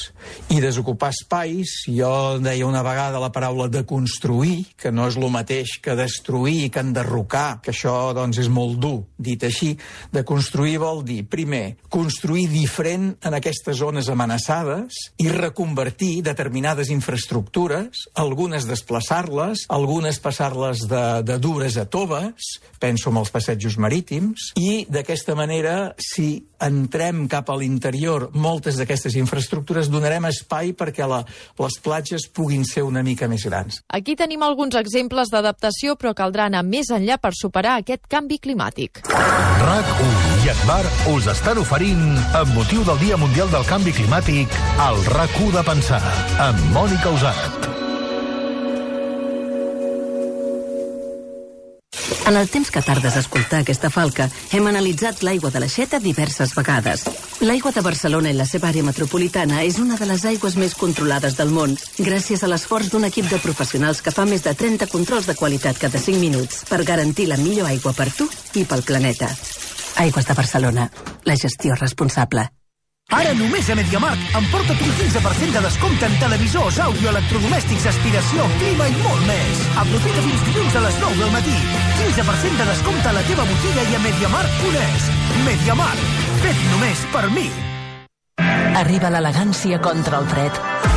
[SPEAKER 17] I desocupar espais, jo deia una vegada la paraula de construir, que no és el mateix que destruir, que enderrocar, que això doncs és molt dur, dit així. De construir vol dir, primer, construir diferent en aquestes zones amenaçades i reconvertir determinades infraestructures, algunes desplaçar-les, algunes passar-les de, de dures a toves, penso en els passejos marítims, i d'aquesta manera, si entrem cap a l'interior moltes d'aquestes infraestructures, donarem espai perquè la, les platges puguin ser una mica més grans.
[SPEAKER 7] Aquí tenim alguns exemples d'adaptació, però caldrà anar més enllà per superar aquest canvi climàtic.
[SPEAKER 1] RAC u i Agbar us estan oferint, amb motiu del Dia Mundial del Canvi Climàtic, el RAC u de pensar, amb Mònica Usat.
[SPEAKER 12] En el temps que tardes a escoltar aquesta falca, hem analitzat l'aigua de l'Aixeta diverses vegades. L'aigua de Barcelona i la seva àrea metropolitana és una de les aigües més controlades del món, gràcies a l'esforç d'un equip de professionals que fa més de trenta controls de qualitat cada cinc minuts per garantir la millor aigua per tu i pel planeta. Aigües de Barcelona, la gestió responsable.
[SPEAKER 13] Ara només a MediaMarkt emporta't un quinze per cent de descompte en televisors, àudio, electrodomèstics, aspiració, clima i molt més. Aprofita fins dilluns a les nou del matí. quinze per cent de descompte a la teva botiga i a MediaMarkt punt es. MediaMarkt, fet només per mi.
[SPEAKER 18] Arriba l'elegància contra el fred.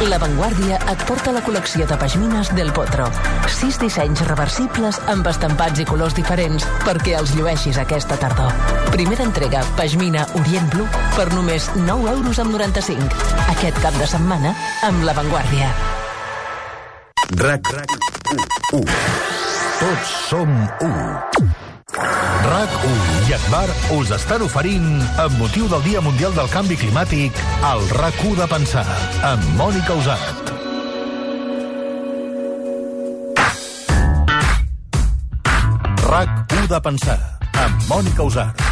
[SPEAKER 18] La Vanguardia et porta la col·lecció de pashmines del Potro. Sis dissenys reversibles amb estampats i colors diferents perquè els llueixis aquesta tardor. Primera entrega Pashmina Orient Blue per només nou euros amb noranta-cinc. Aquest cap de setmana amb La Vanguardia.
[SPEAKER 1] RAC u. Tots som u. RAC u i Agbar us estan oferint, amb motiu del Dia Mundial del Canvi Climàtic, el RAC u de pensar, amb Mònica Usat. RAC u de pensar, amb Mònica Usat.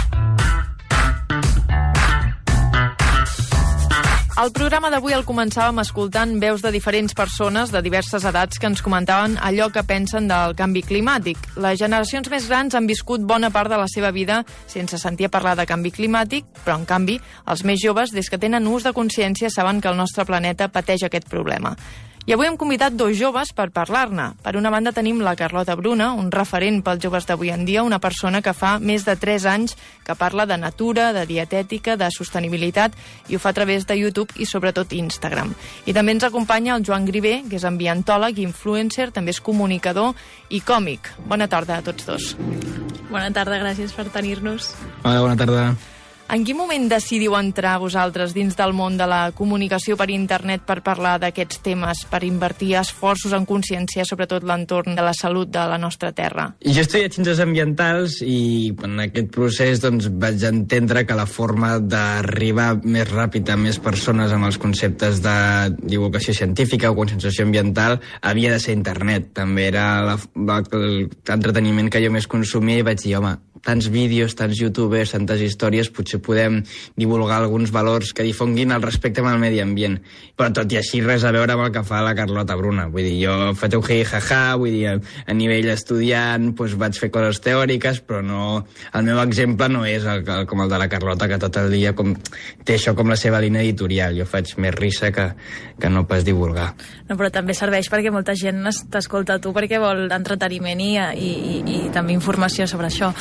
[SPEAKER 7] El programa d'avui el començàvem escoltant veus de diferents persones de diverses edats que ens comentaven allò que pensen del canvi climàtic. Les generacions més grans han viscut bona part de la seva vida sense sentir a parlar de canvi climàtic, però en canvi els més joves, des que tenen ús de consciència, saben que el nostre planeta pateix aquest problema. I avui hem convidat dos joves per parlar-ne. Per una banda tenim la Carlota Bruna, un referent pels joves d'avui en dia, una persona que fa més de tres anys que parla de natura, de dietètica, de sostenibilitat, i ho fa a través de YouTube i sobretot Instagram. I també ens acompanya el Joan Grivé, que és ambientòleg, influencer, també és comunicador i còmic. Bona tarda a tots dos.
[SPEAKER 19] Bona tarda, gràcies per tenir-nos.
[SPEAKER 20] Hola, bona tarda.
[SPEAKER 7] En quin moment decidiu entrar vosaltres dins del món de la comunicació per internet per parlar d'aquests temes, per invertir esforços en consciència, sobretot l'entorn de la salut de la nostra terra?
[SPEAKER 19] Jo he estudiat ciències ambientals i en aquest procés doncs, vaig entendre que la forma d'arribar més ràpid a més persones amb els conceptes de divulgació científica o conscienciació ambiental havia de ser internet. També era l'entreteniment que jo més consumia i vaig dir, home, tants vídeos, tants youtubers, tantes històries, potser podem divulgar alguns valors que difonguin el respecte amb el medi ambient. Però tot i així res a veure amb el que fa la Carlota Bruna. Vull dir, jo faig un hi-ha-ha, vull dir, a nivell estudiant doncs vaig fer coses teòriques, però no, el meu exemple no és el, el, com el de la Carlota, que tot el dia com, té això com la seva línia editorial. Jo faig més risa que, que no pas divulgar.
[SPEAKER 20] No, però també serveix perquè molta gent t'escolta a tu perquè vol entreteniment i, i, i, i també informació sobre això.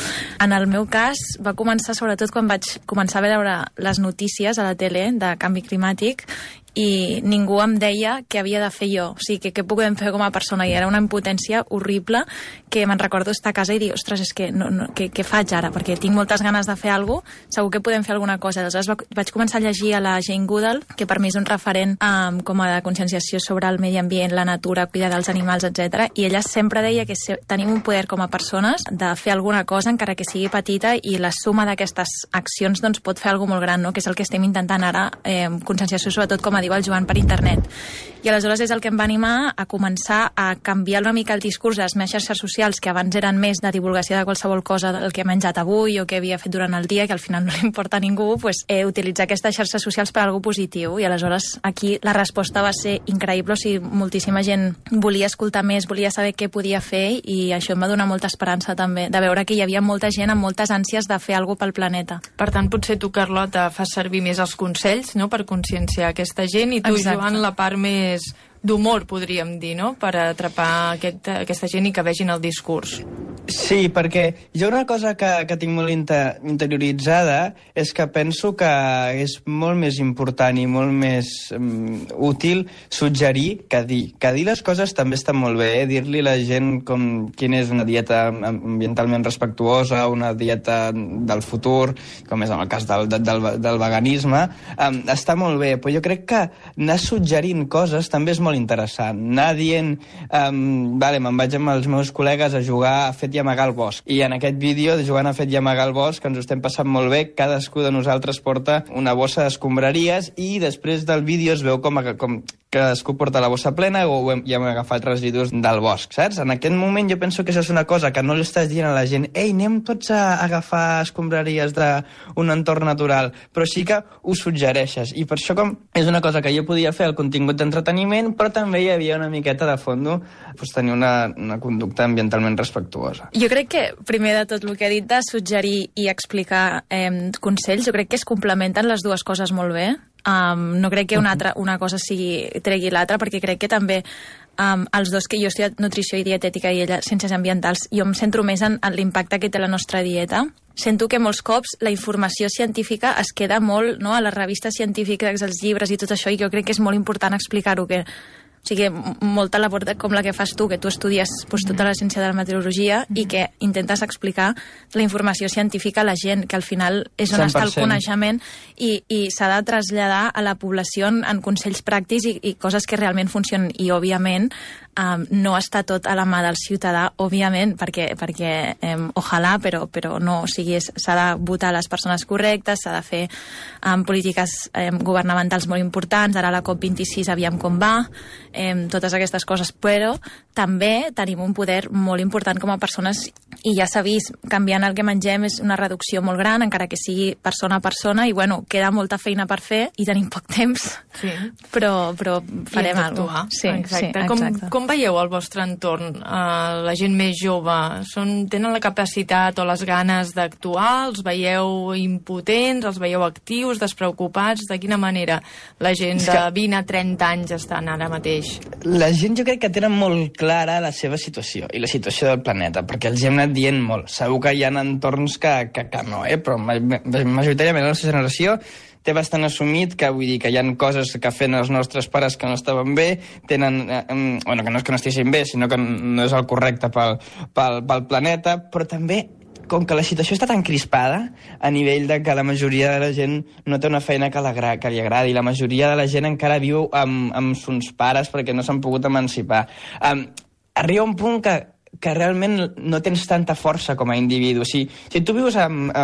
[SPEAKER 20] En el meu cas va començar sobretot quan vaig començar a veure les notícies a la tele de canvi climàtic i ningú em deia què havia de fer jo, o sigui, que què podem fer com a persona, i era una impotència horrible que me'n recordo estar a casa i dir, ostres, és que no, no, què, què faig ara? Perquè tinc moltes ganes de fer alguna cosa, segur que podem fer alguna cosa. Aleshores vaig començar a llegir a la Jane Goodall, que per mi és un referent um, com a de conscienciació sobre el medi ambient, la natura, cuidar dels animals, etcètera. I ella sempre deia que tenim un poder com a persones de fer alguna cosa, encara que sigui petita, i la suma d'aquestes accions doncs, pot fer alguna molt gran, no? Que és el que estem intentant ara, eh, conscienciació sobretot com a diu el Joan, per internet. I aleshores és el que em va animar a començar a canviar una mica el discurs de les meves xarxes socials, que abans eren més de divulgació de qualsevol cosa del que he menjat avui o que havia fet durant el dia, que al final no li importa a ningú, pues, eh, utilitzar aquestes xarxes socials per a alguna positiu. I aleshores aquí la resposta va ser increïble, o sigui, moltíssima gent volia escoltar més, volia saber què podia fer, i això em va donar molta esperança també, de veure que hi havia molta gent amb moltes ànsies de fer alguna pel planeta.
[SPEAKER 7] Per tant, potser tu, Carlota, fas servir més els consells, no?, per conscienciar aquesta gent, i tu,
[SPEAKER 20] Exacte.
[SPEAKER 7] Joan, la part més d'humor, podríem dir, no?, per atrapar aquest, aquesta gent i que vegin el discurs.
[SPEAKER 19] Sí, perquè jo una cosa que, que tinc molt inter, interioritzada és que penso que és molt més important i molt més um, útil suggerir que dir. Que dir les coses també està molt bé, eh? Dir-li a la gent com quina és una dieta ambientalment respectuosa, una dieta del futur, com és en el cas del, del, del veganisme, um, està molt bé, però jo crec que anar suggerint coses també és molt interessant. Anar dient, um, vale, me'n vaig amb els meus col·legues a jugar a fet i amagar el bosc. I en aquest vídeo de jugant a fet i amagar el bosc, que ens ho estem passant molt bé, cadascú de nosaltres porta una bossa d'escombraries i després del vídeo es veu com, com cadascú porta la bossa plena o hem, ja hem agafat residus del bosc, saps? En aquest moment jo penso que això és una cosa que no li estàs dient a la gent, ei, anem tots a agafar escombraries d'un entorn natural, però sí que ho suggereixes. I per això com és una cosa que jo podia fer el contingut d'entreteniment, però també hi havia una miqueta de fondo pues, tenir una, una conducta ambientalment respectuosa.
[SPEAKER 20] Jo crec que, primer de tot, el que he dit de suggerir i explicar eh, consells, jo crec que es complementen les dues coses molt bé. Um, no crec que una, altra, una cosa sigui, tregui l'altra, perquè crec que també um, els dos, que jo he estudiat nutrició i dietètica i ella ciències ambientals, jo em centro més en, en l'impacte que té la nostra dieta. Sento que molts cops la informació científica es queda molt, no?, a les revistes científiques, als llibres i tot això, i jo crec que és molt important explicar-ho, que o sigui, molta labor com la que fas tu, que tu estudies pues, tota la ciència de la meteorologia mm-hmm. i que intentes explicar la informació científica a la gent, que al final és on cent per cent està el coneixement, i, i s'ha de traslladar a la població en, en consells pràctics i, i coses que realment funcionen. I, òbviament, um, no està tot a la mà del ciutadà, òbviament, perquè, perquè um, ojalà, però, però no, o sigui, s'ha de votar les persones correctes, s'ha de fer um, polítiques um, governamentals molt importants, ara la COP vint-i-sis aviam com va, um, totes aquestes coses, però també tenim un poder molt important com a persones, i ja s'ha vist, canviant el que mengem és una reducció molt gran, encara que sigui persona a persona, i bueno, queda molta feina per fer i tenim poc temps, sí. però, però farem alguna cosa. Sí,
[SPEAKER 7] exacte.
[SPEAKER 20] Sí,
[SPEAKER 7] com,
[SPEAKER 20] exacte.
[SPEAKER 7] Com veieu el vostre entorn? Uh, la gent més jove, són, tenen la capacitat o les ganes d'actuar? Els veieu impotents? Els veieu actius, despreocupats? De quina manera la gent de vint a trenta anys estan ara mateix?
[SPEAKER 19] La gent jo crec que tenen molt clara la seva situació i la situació del planeta, perquè els hem anat dient molt. Segur que hi ha entorns que, que, que no, eh? Però majoritàriament la nostra generació té bastant assumit que, vull dir, que hi ha coses que feien els nostres pares que no estaven bé, tenen, eh, bueno, que no és que no estiguessin bé, sinó que no és el correcte pel, pel, pel planeta, però també com que la situació està tan crispada a nivell de que la majoria de la gent no té una feina que, la, que li agradi, la majoria de la gent encara viu amb, amb sons pares perquè no s'han pogut emancipar. Um, arriba un punt que que realment no tens tanta força com a individu. Si, si tu vius amb, eh,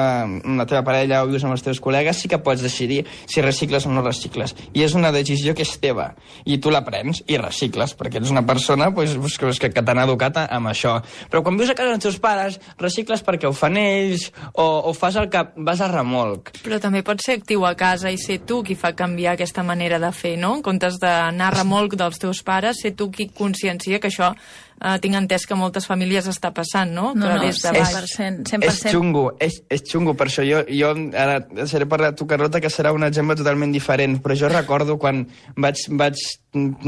[SPEAKER 19] amb la teva parella o vius amb els teus col·legues, sí que pots decidir si recicles o no recicles. I és una decisió que és teva. I tu la prens i recicles, perquè ets una persona pues, pues, que, que t'han educat amb això. Però quan vius a casa dels teus pares, recicles perquè ho fan ells o, o fas el que vas a remolc.
[SPEAKER 7] Però també pots ser actiu a casa i ser tu qui fa canviar aquesta manera de fer, no? En comptes d'anar a remolc dels teus pares, ser tu qui consciencia que això Uh, tinc entès que moltes famílies està passant, no?
[SPEAKER 20] No,
[SPEAKER 7] que
[SPEAKER 20] no,
[SPEAKER 7] des de
[SPEAKER 20] cent
[SPEAKER 7] baix.
[SPEAKER 20] per cent, cent per cent.
[SPEAKER 19] És xungo, és, és xungo, per això jo, jo ara seré per tu, Carlota, que serà un exemple totalment diferent, però jo recordo quan vaig, vaig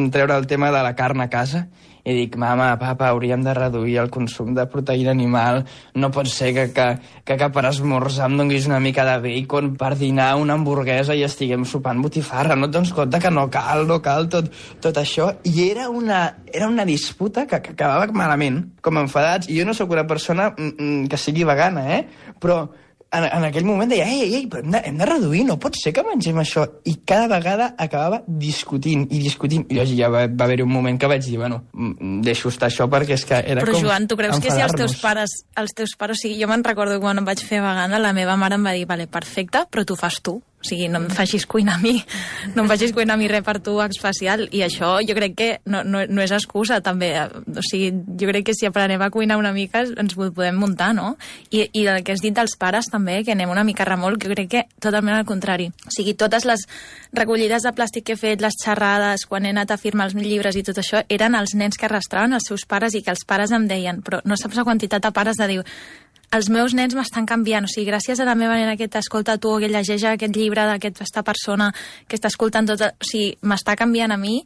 [SPEAKER 19] treure el tema de la carn a casa i dic, mama, papa, hauríem de reduir el consum de proteïna animal, no pot ser que, que, que, que per esmorzar em donis una mica de bacon, per dinar una hamburguesa i estiguem sopant botifarra, no et dones compte que no cal, no cal tot, tot això, i era una, era una disputa que, que acabava malament, com enfadats, i jo no sóc una persona mm, que sigui vegana, eh? Però en, en aquell moment deia, ei, ei, però hem de, hem de reduir, no pot ser que mengem això. I cada vegada acabava discutint i discutint. I ja va, va haver-hi un moment que vaig dir, bueno, deixo estar això perquè és que era
[SPEAKER 20] però,
[SPEAKER 19] com
[SPEAKER 20] Joan, tu creus que si els teus pares, els teus pares, o sigui, jo me'n recordo quan em vaig fer vegana, la meva mare em va dir, vale, perfecte, però tu fas tu. O sigui, no em facis cuinar a mi, no em facis cuinar a mi res per tu especial. I això jo crec que no, no, no és excusa, també. O sigui, jo crec que si aprenem a cuinar una mica ens ho podem muntar, no? I, i el que has dit dels pares també, que anem una mica a remolc, jo crec que totalment al contrari. O sigui, totes les recollides de plàstic que he fet, les xerrades, quan he anat a firmar els llibres i tot això, eren els nens que arrastraven els seus pares i que els pares em deien, però no saps la quantitat de pares de dir, els meus nens m'estan canviant, o sigui, gràcies a la meva nena que t'escolta tu, que llegeix aquest llibre d'aquesta persona que està escoltant tot, o sigui, m'està canviant a mi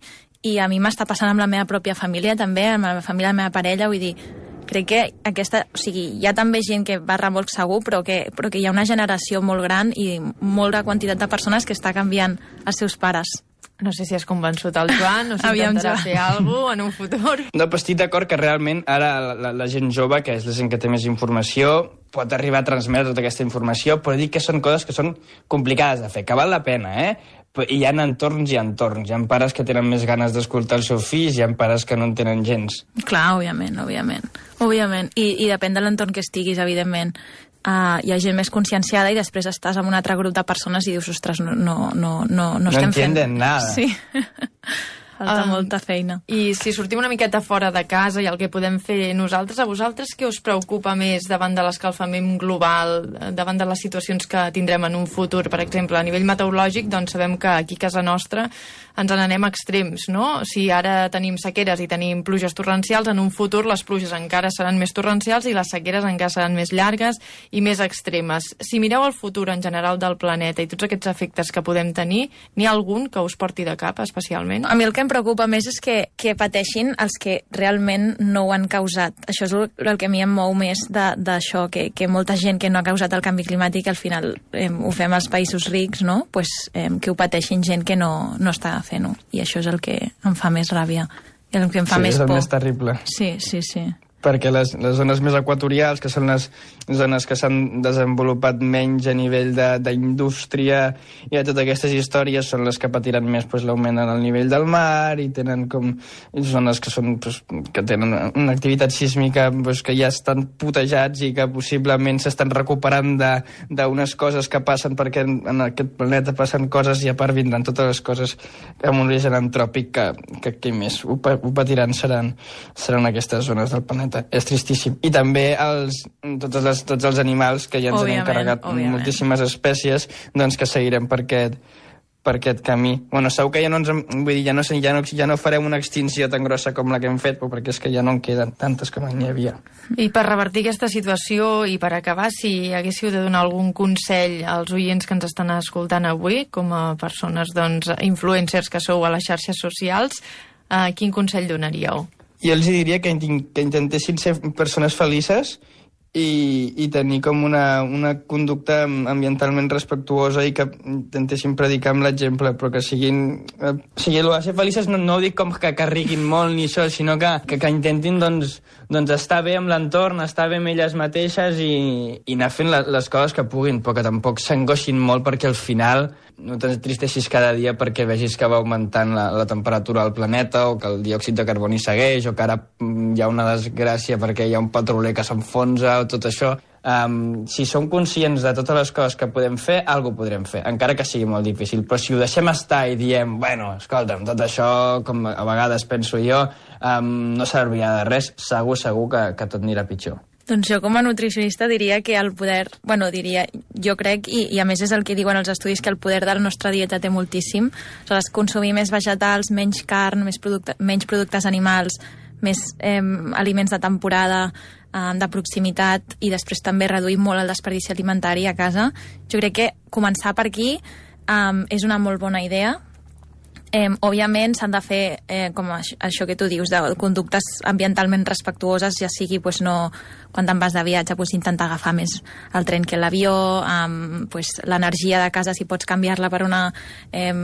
[SPEAKER 20] i a mi m'està passant amb la meva pròpia família també, amb la família de la meva parella, vull dir, crec que aquesta, o sigui, hi ha també gent que va a remolc segur, però que, però que hi ha una generació molt gran i molta quantitat de persones que està canviant els seus pares.
[SPEAKER 7] No sé si has convençut el Joan o si intentarà fer alguna cosa en un futur.
[SPEAKER 19] No, però estic d'acord que realment ara la, la, la gent jove, que és la gent que té més informació, pot arribar a transmetre tota aquesta informació, però dic que són coses que són complicades de fer, que val la pena, eh? I hi ha entorns i entorns. Hi ha pares que tenen més ganes d'escoltar els seus fills, hi ha pares que no en tenen gens.
[SPEAKER 20] Clar, òbviament, òbviament. òbviament. I, i depèn de l'entorn que estiguis, evidentment. Uh, hi ha gent més conscienciada i després estàs amb un altre grup de persones i dius, ostres, no, no, no, no, no estem fent...
[SPEAKER 19] No entienden nada.
[SPEAKER 20] Sí. Falta um, molta feina.
[SPEAKER 7] I si sortim una miqueta fora de casa i el que podem fer nosaltres, a vosaltres què us preocupa més davant de l'escalfament global, davant de les situacions que tindrem en un futur? Per exemple, a nivell meteorològic, doncs sabem que aquí a casa nostra ens n'anem a extrems, no? Si ara tenim sequeres i tenim pluges torrencials, en un futur les pluges encara seran més torrencials i les sequeres encara seran més llargues i més extremes. Si mireu el futur en general del planeta i tots aquests efectes que podem tenir, n'hi ha algun que us porti de cap especialment?
[SPEAKER 20] A mi el que em preocupa més és que, que pateixin els que realment no ho han causat. Això és el, el que a mi em mou més d'això, que, que molta gent que no ha causat el canvi climàtic al final eh, ho fem als països rics, no? Pues, eh, que ho pateixin gent que no, no està fent-ho. I això és el que em fa més ràbia. I el que em fa
[SPEAKER 19] sí,
[SPEAKER 20] més
[SPEAKER 19] por.
[SPEAKER 20] por.
[SPEAKER 19] És el més terrible.
[SPEAKER 20] Sí, sí, sí.
[SPEAKER 19] Perquè les, les zones més equatorials, que són les zones que s'han desenvolupat menys a nivell d'indústria i de totes aquestes històries, són les que patiran més pues, l'augment en el nivell del mar i tenen com zones que, són, pues, que tenen una activitat sísmica pues, que ja estan putejats i que possiblement s'estan recuperant d'unes coses que passen perquè en, en aquest planeta passen coses i a part vindran totes les coses amb un origen antròpic que, que qui més ho, ho patiran seran, seran aquestes zones del planeta. És tristíssim. I també els, totes les, tots els animals que ja ens han encarregat òbviament. Moltíssimes espècies, doncs que seguirem per aquest, per aquest camí. Bueno, segur que ja no ens... Vull dir, ja no, ja, no, ja no farem una extinció tan grossa com la que hem fet, però perquè és que ja no en queden tantes com n'hi havia.
[SPEAKER 7] I per revertir aquesta situació i per acabar, si haguéssiu de donar algun consell als oients que ens estan escoltant avui, com a persones, doncs, influencers que sou a les xarxes socials, eh, quin consell donaríeu?
[SPEAKER 19] Jo els diria que, que intentessin ser persones felices i, i tenir com una, una conducta ambientalment respectuosa i que intentéssim predicar amb l'exemple, però que siguin... Eh, o sigui, el de ser felices no, no ho dic com que carriguin molt ni això, sinó que, que, que intentin doncs, doncs estar bé amb l'entorn, estar bé amb elles mateixes i, i anar fent la, les coses que puguin, però que tampoc s'angoixin molt perquè al final no t'entristeixis cada dia perquè vegis que va augmentant la, la temperatura del planeta o que el diòxid de carboni segueix o que ara hi ha una desgràcia perquè hi ha un petroler que s'enfonsa o tot això. Um, si som conscients de totes les coses que podem fer, alguna cosa podrem fer, encara que sigui molt difícil. Però si ho deixem estar i diem, bueno, escolta'm, tot això, com a vegades penso jo, um, no servirà de res, segur, segur que, que tot anirà pitjor.
[SPEAKER 20] Doncs jo com a nutricionista diria que el poder, bueno, diria, jo crec, i, i a més és el que diuen els estudis, que el poder de la nostra dieta té moltíssim. Aleshores, consumir més vegetals, menys carn, més producte, menys productes animals, més eh, aliments de temporada, eh, de proximitat, i després també reduir molt el desperdici alimentari a casa. Jo crec que començar per aquí eh, és una molt bona idea. Eh, òbviament s'han de fer, eh, com això, això que tu dius, de conductes ambientalment respectuoses, ja sigui pues, no, quan te'n vas de viatge pues, intentar agafar més el tren que l'avió, eh, pues, l'energia de casa si pots canviar-la per una, eh,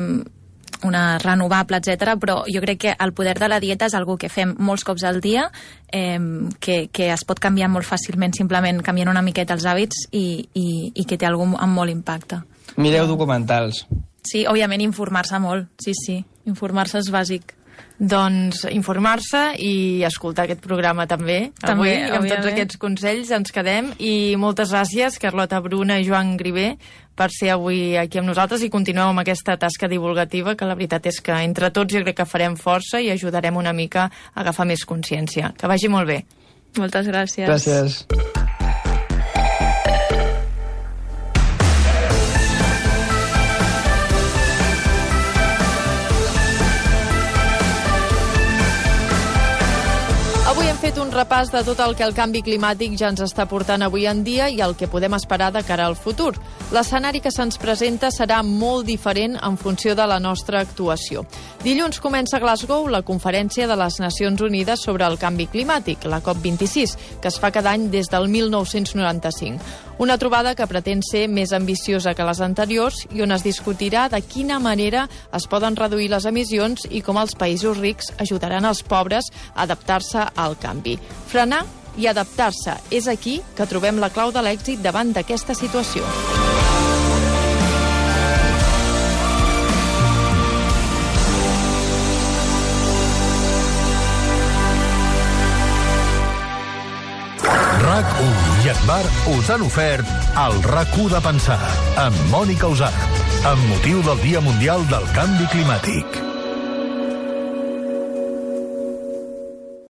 [SPEAKER 20] una renovable, etcètera. Però jo crec que el poder de la dieta és algo que fem molts cops al dia, eh, que, que es pot canviar molt fàcilment simplement canviant una miqueta els hàbits i, i, i que té algun amb molt impacte.
[SPEAKER 19] Mireu documentals.
[SPEAKER 20] Sí, òbviament informar-se molt, sí, sí, informar-se és bàsic.
[SPEAKER 7] Doncs informar-se i escoltar aquest programa també.
[SPEAKER 20] També,
[SPEAKER 7] Avui, amb tots aquests consells ens quedem i moltes gràcies, Carlota Bruna i Joan Grivé, per ser avui aquí amb nosaltres i continueu amb aquesta tasca divulgativa, que la veritat és que entre tots jo crec que farem força i ajudarem una mica a agafar més consciència. Que vagi molt bé.
[SPEAKER 20] Moltes gràcies.
[SPEAKER 19] Gràcies.
[SPEAKER 7] Avui hem fet un repàs de tot el que el canvi climàtic ja ens està portant avui en dia i el que podem esperar de cara al futur. L'escenari que se'ns presenta serà molt diferent en funció de la nostra actuació. Dilluns comença a Glasgow la conferència de les Nacions Unides sobre el canvi climàtic, la COP vint-i-sis, que es fa cada any des del mil nou-cents noranta-cinc. Una trobada que pretén ser més ambiciosa que les anteriors i on es discutirà de quina manera es poden reduir les emissions i com els països rics ajudaran els pobres a adaptar-se al canvi. Frenar i adaptar-se. És aquí que trobem la clau de l'èxit davant d'aquesta situació.
[SPEAKER 1] RAC u i Esbar us han ofert el RAC u de pensar amb Mònica Usart, amb motiu del Dia Mundial del Canvi Climàtic.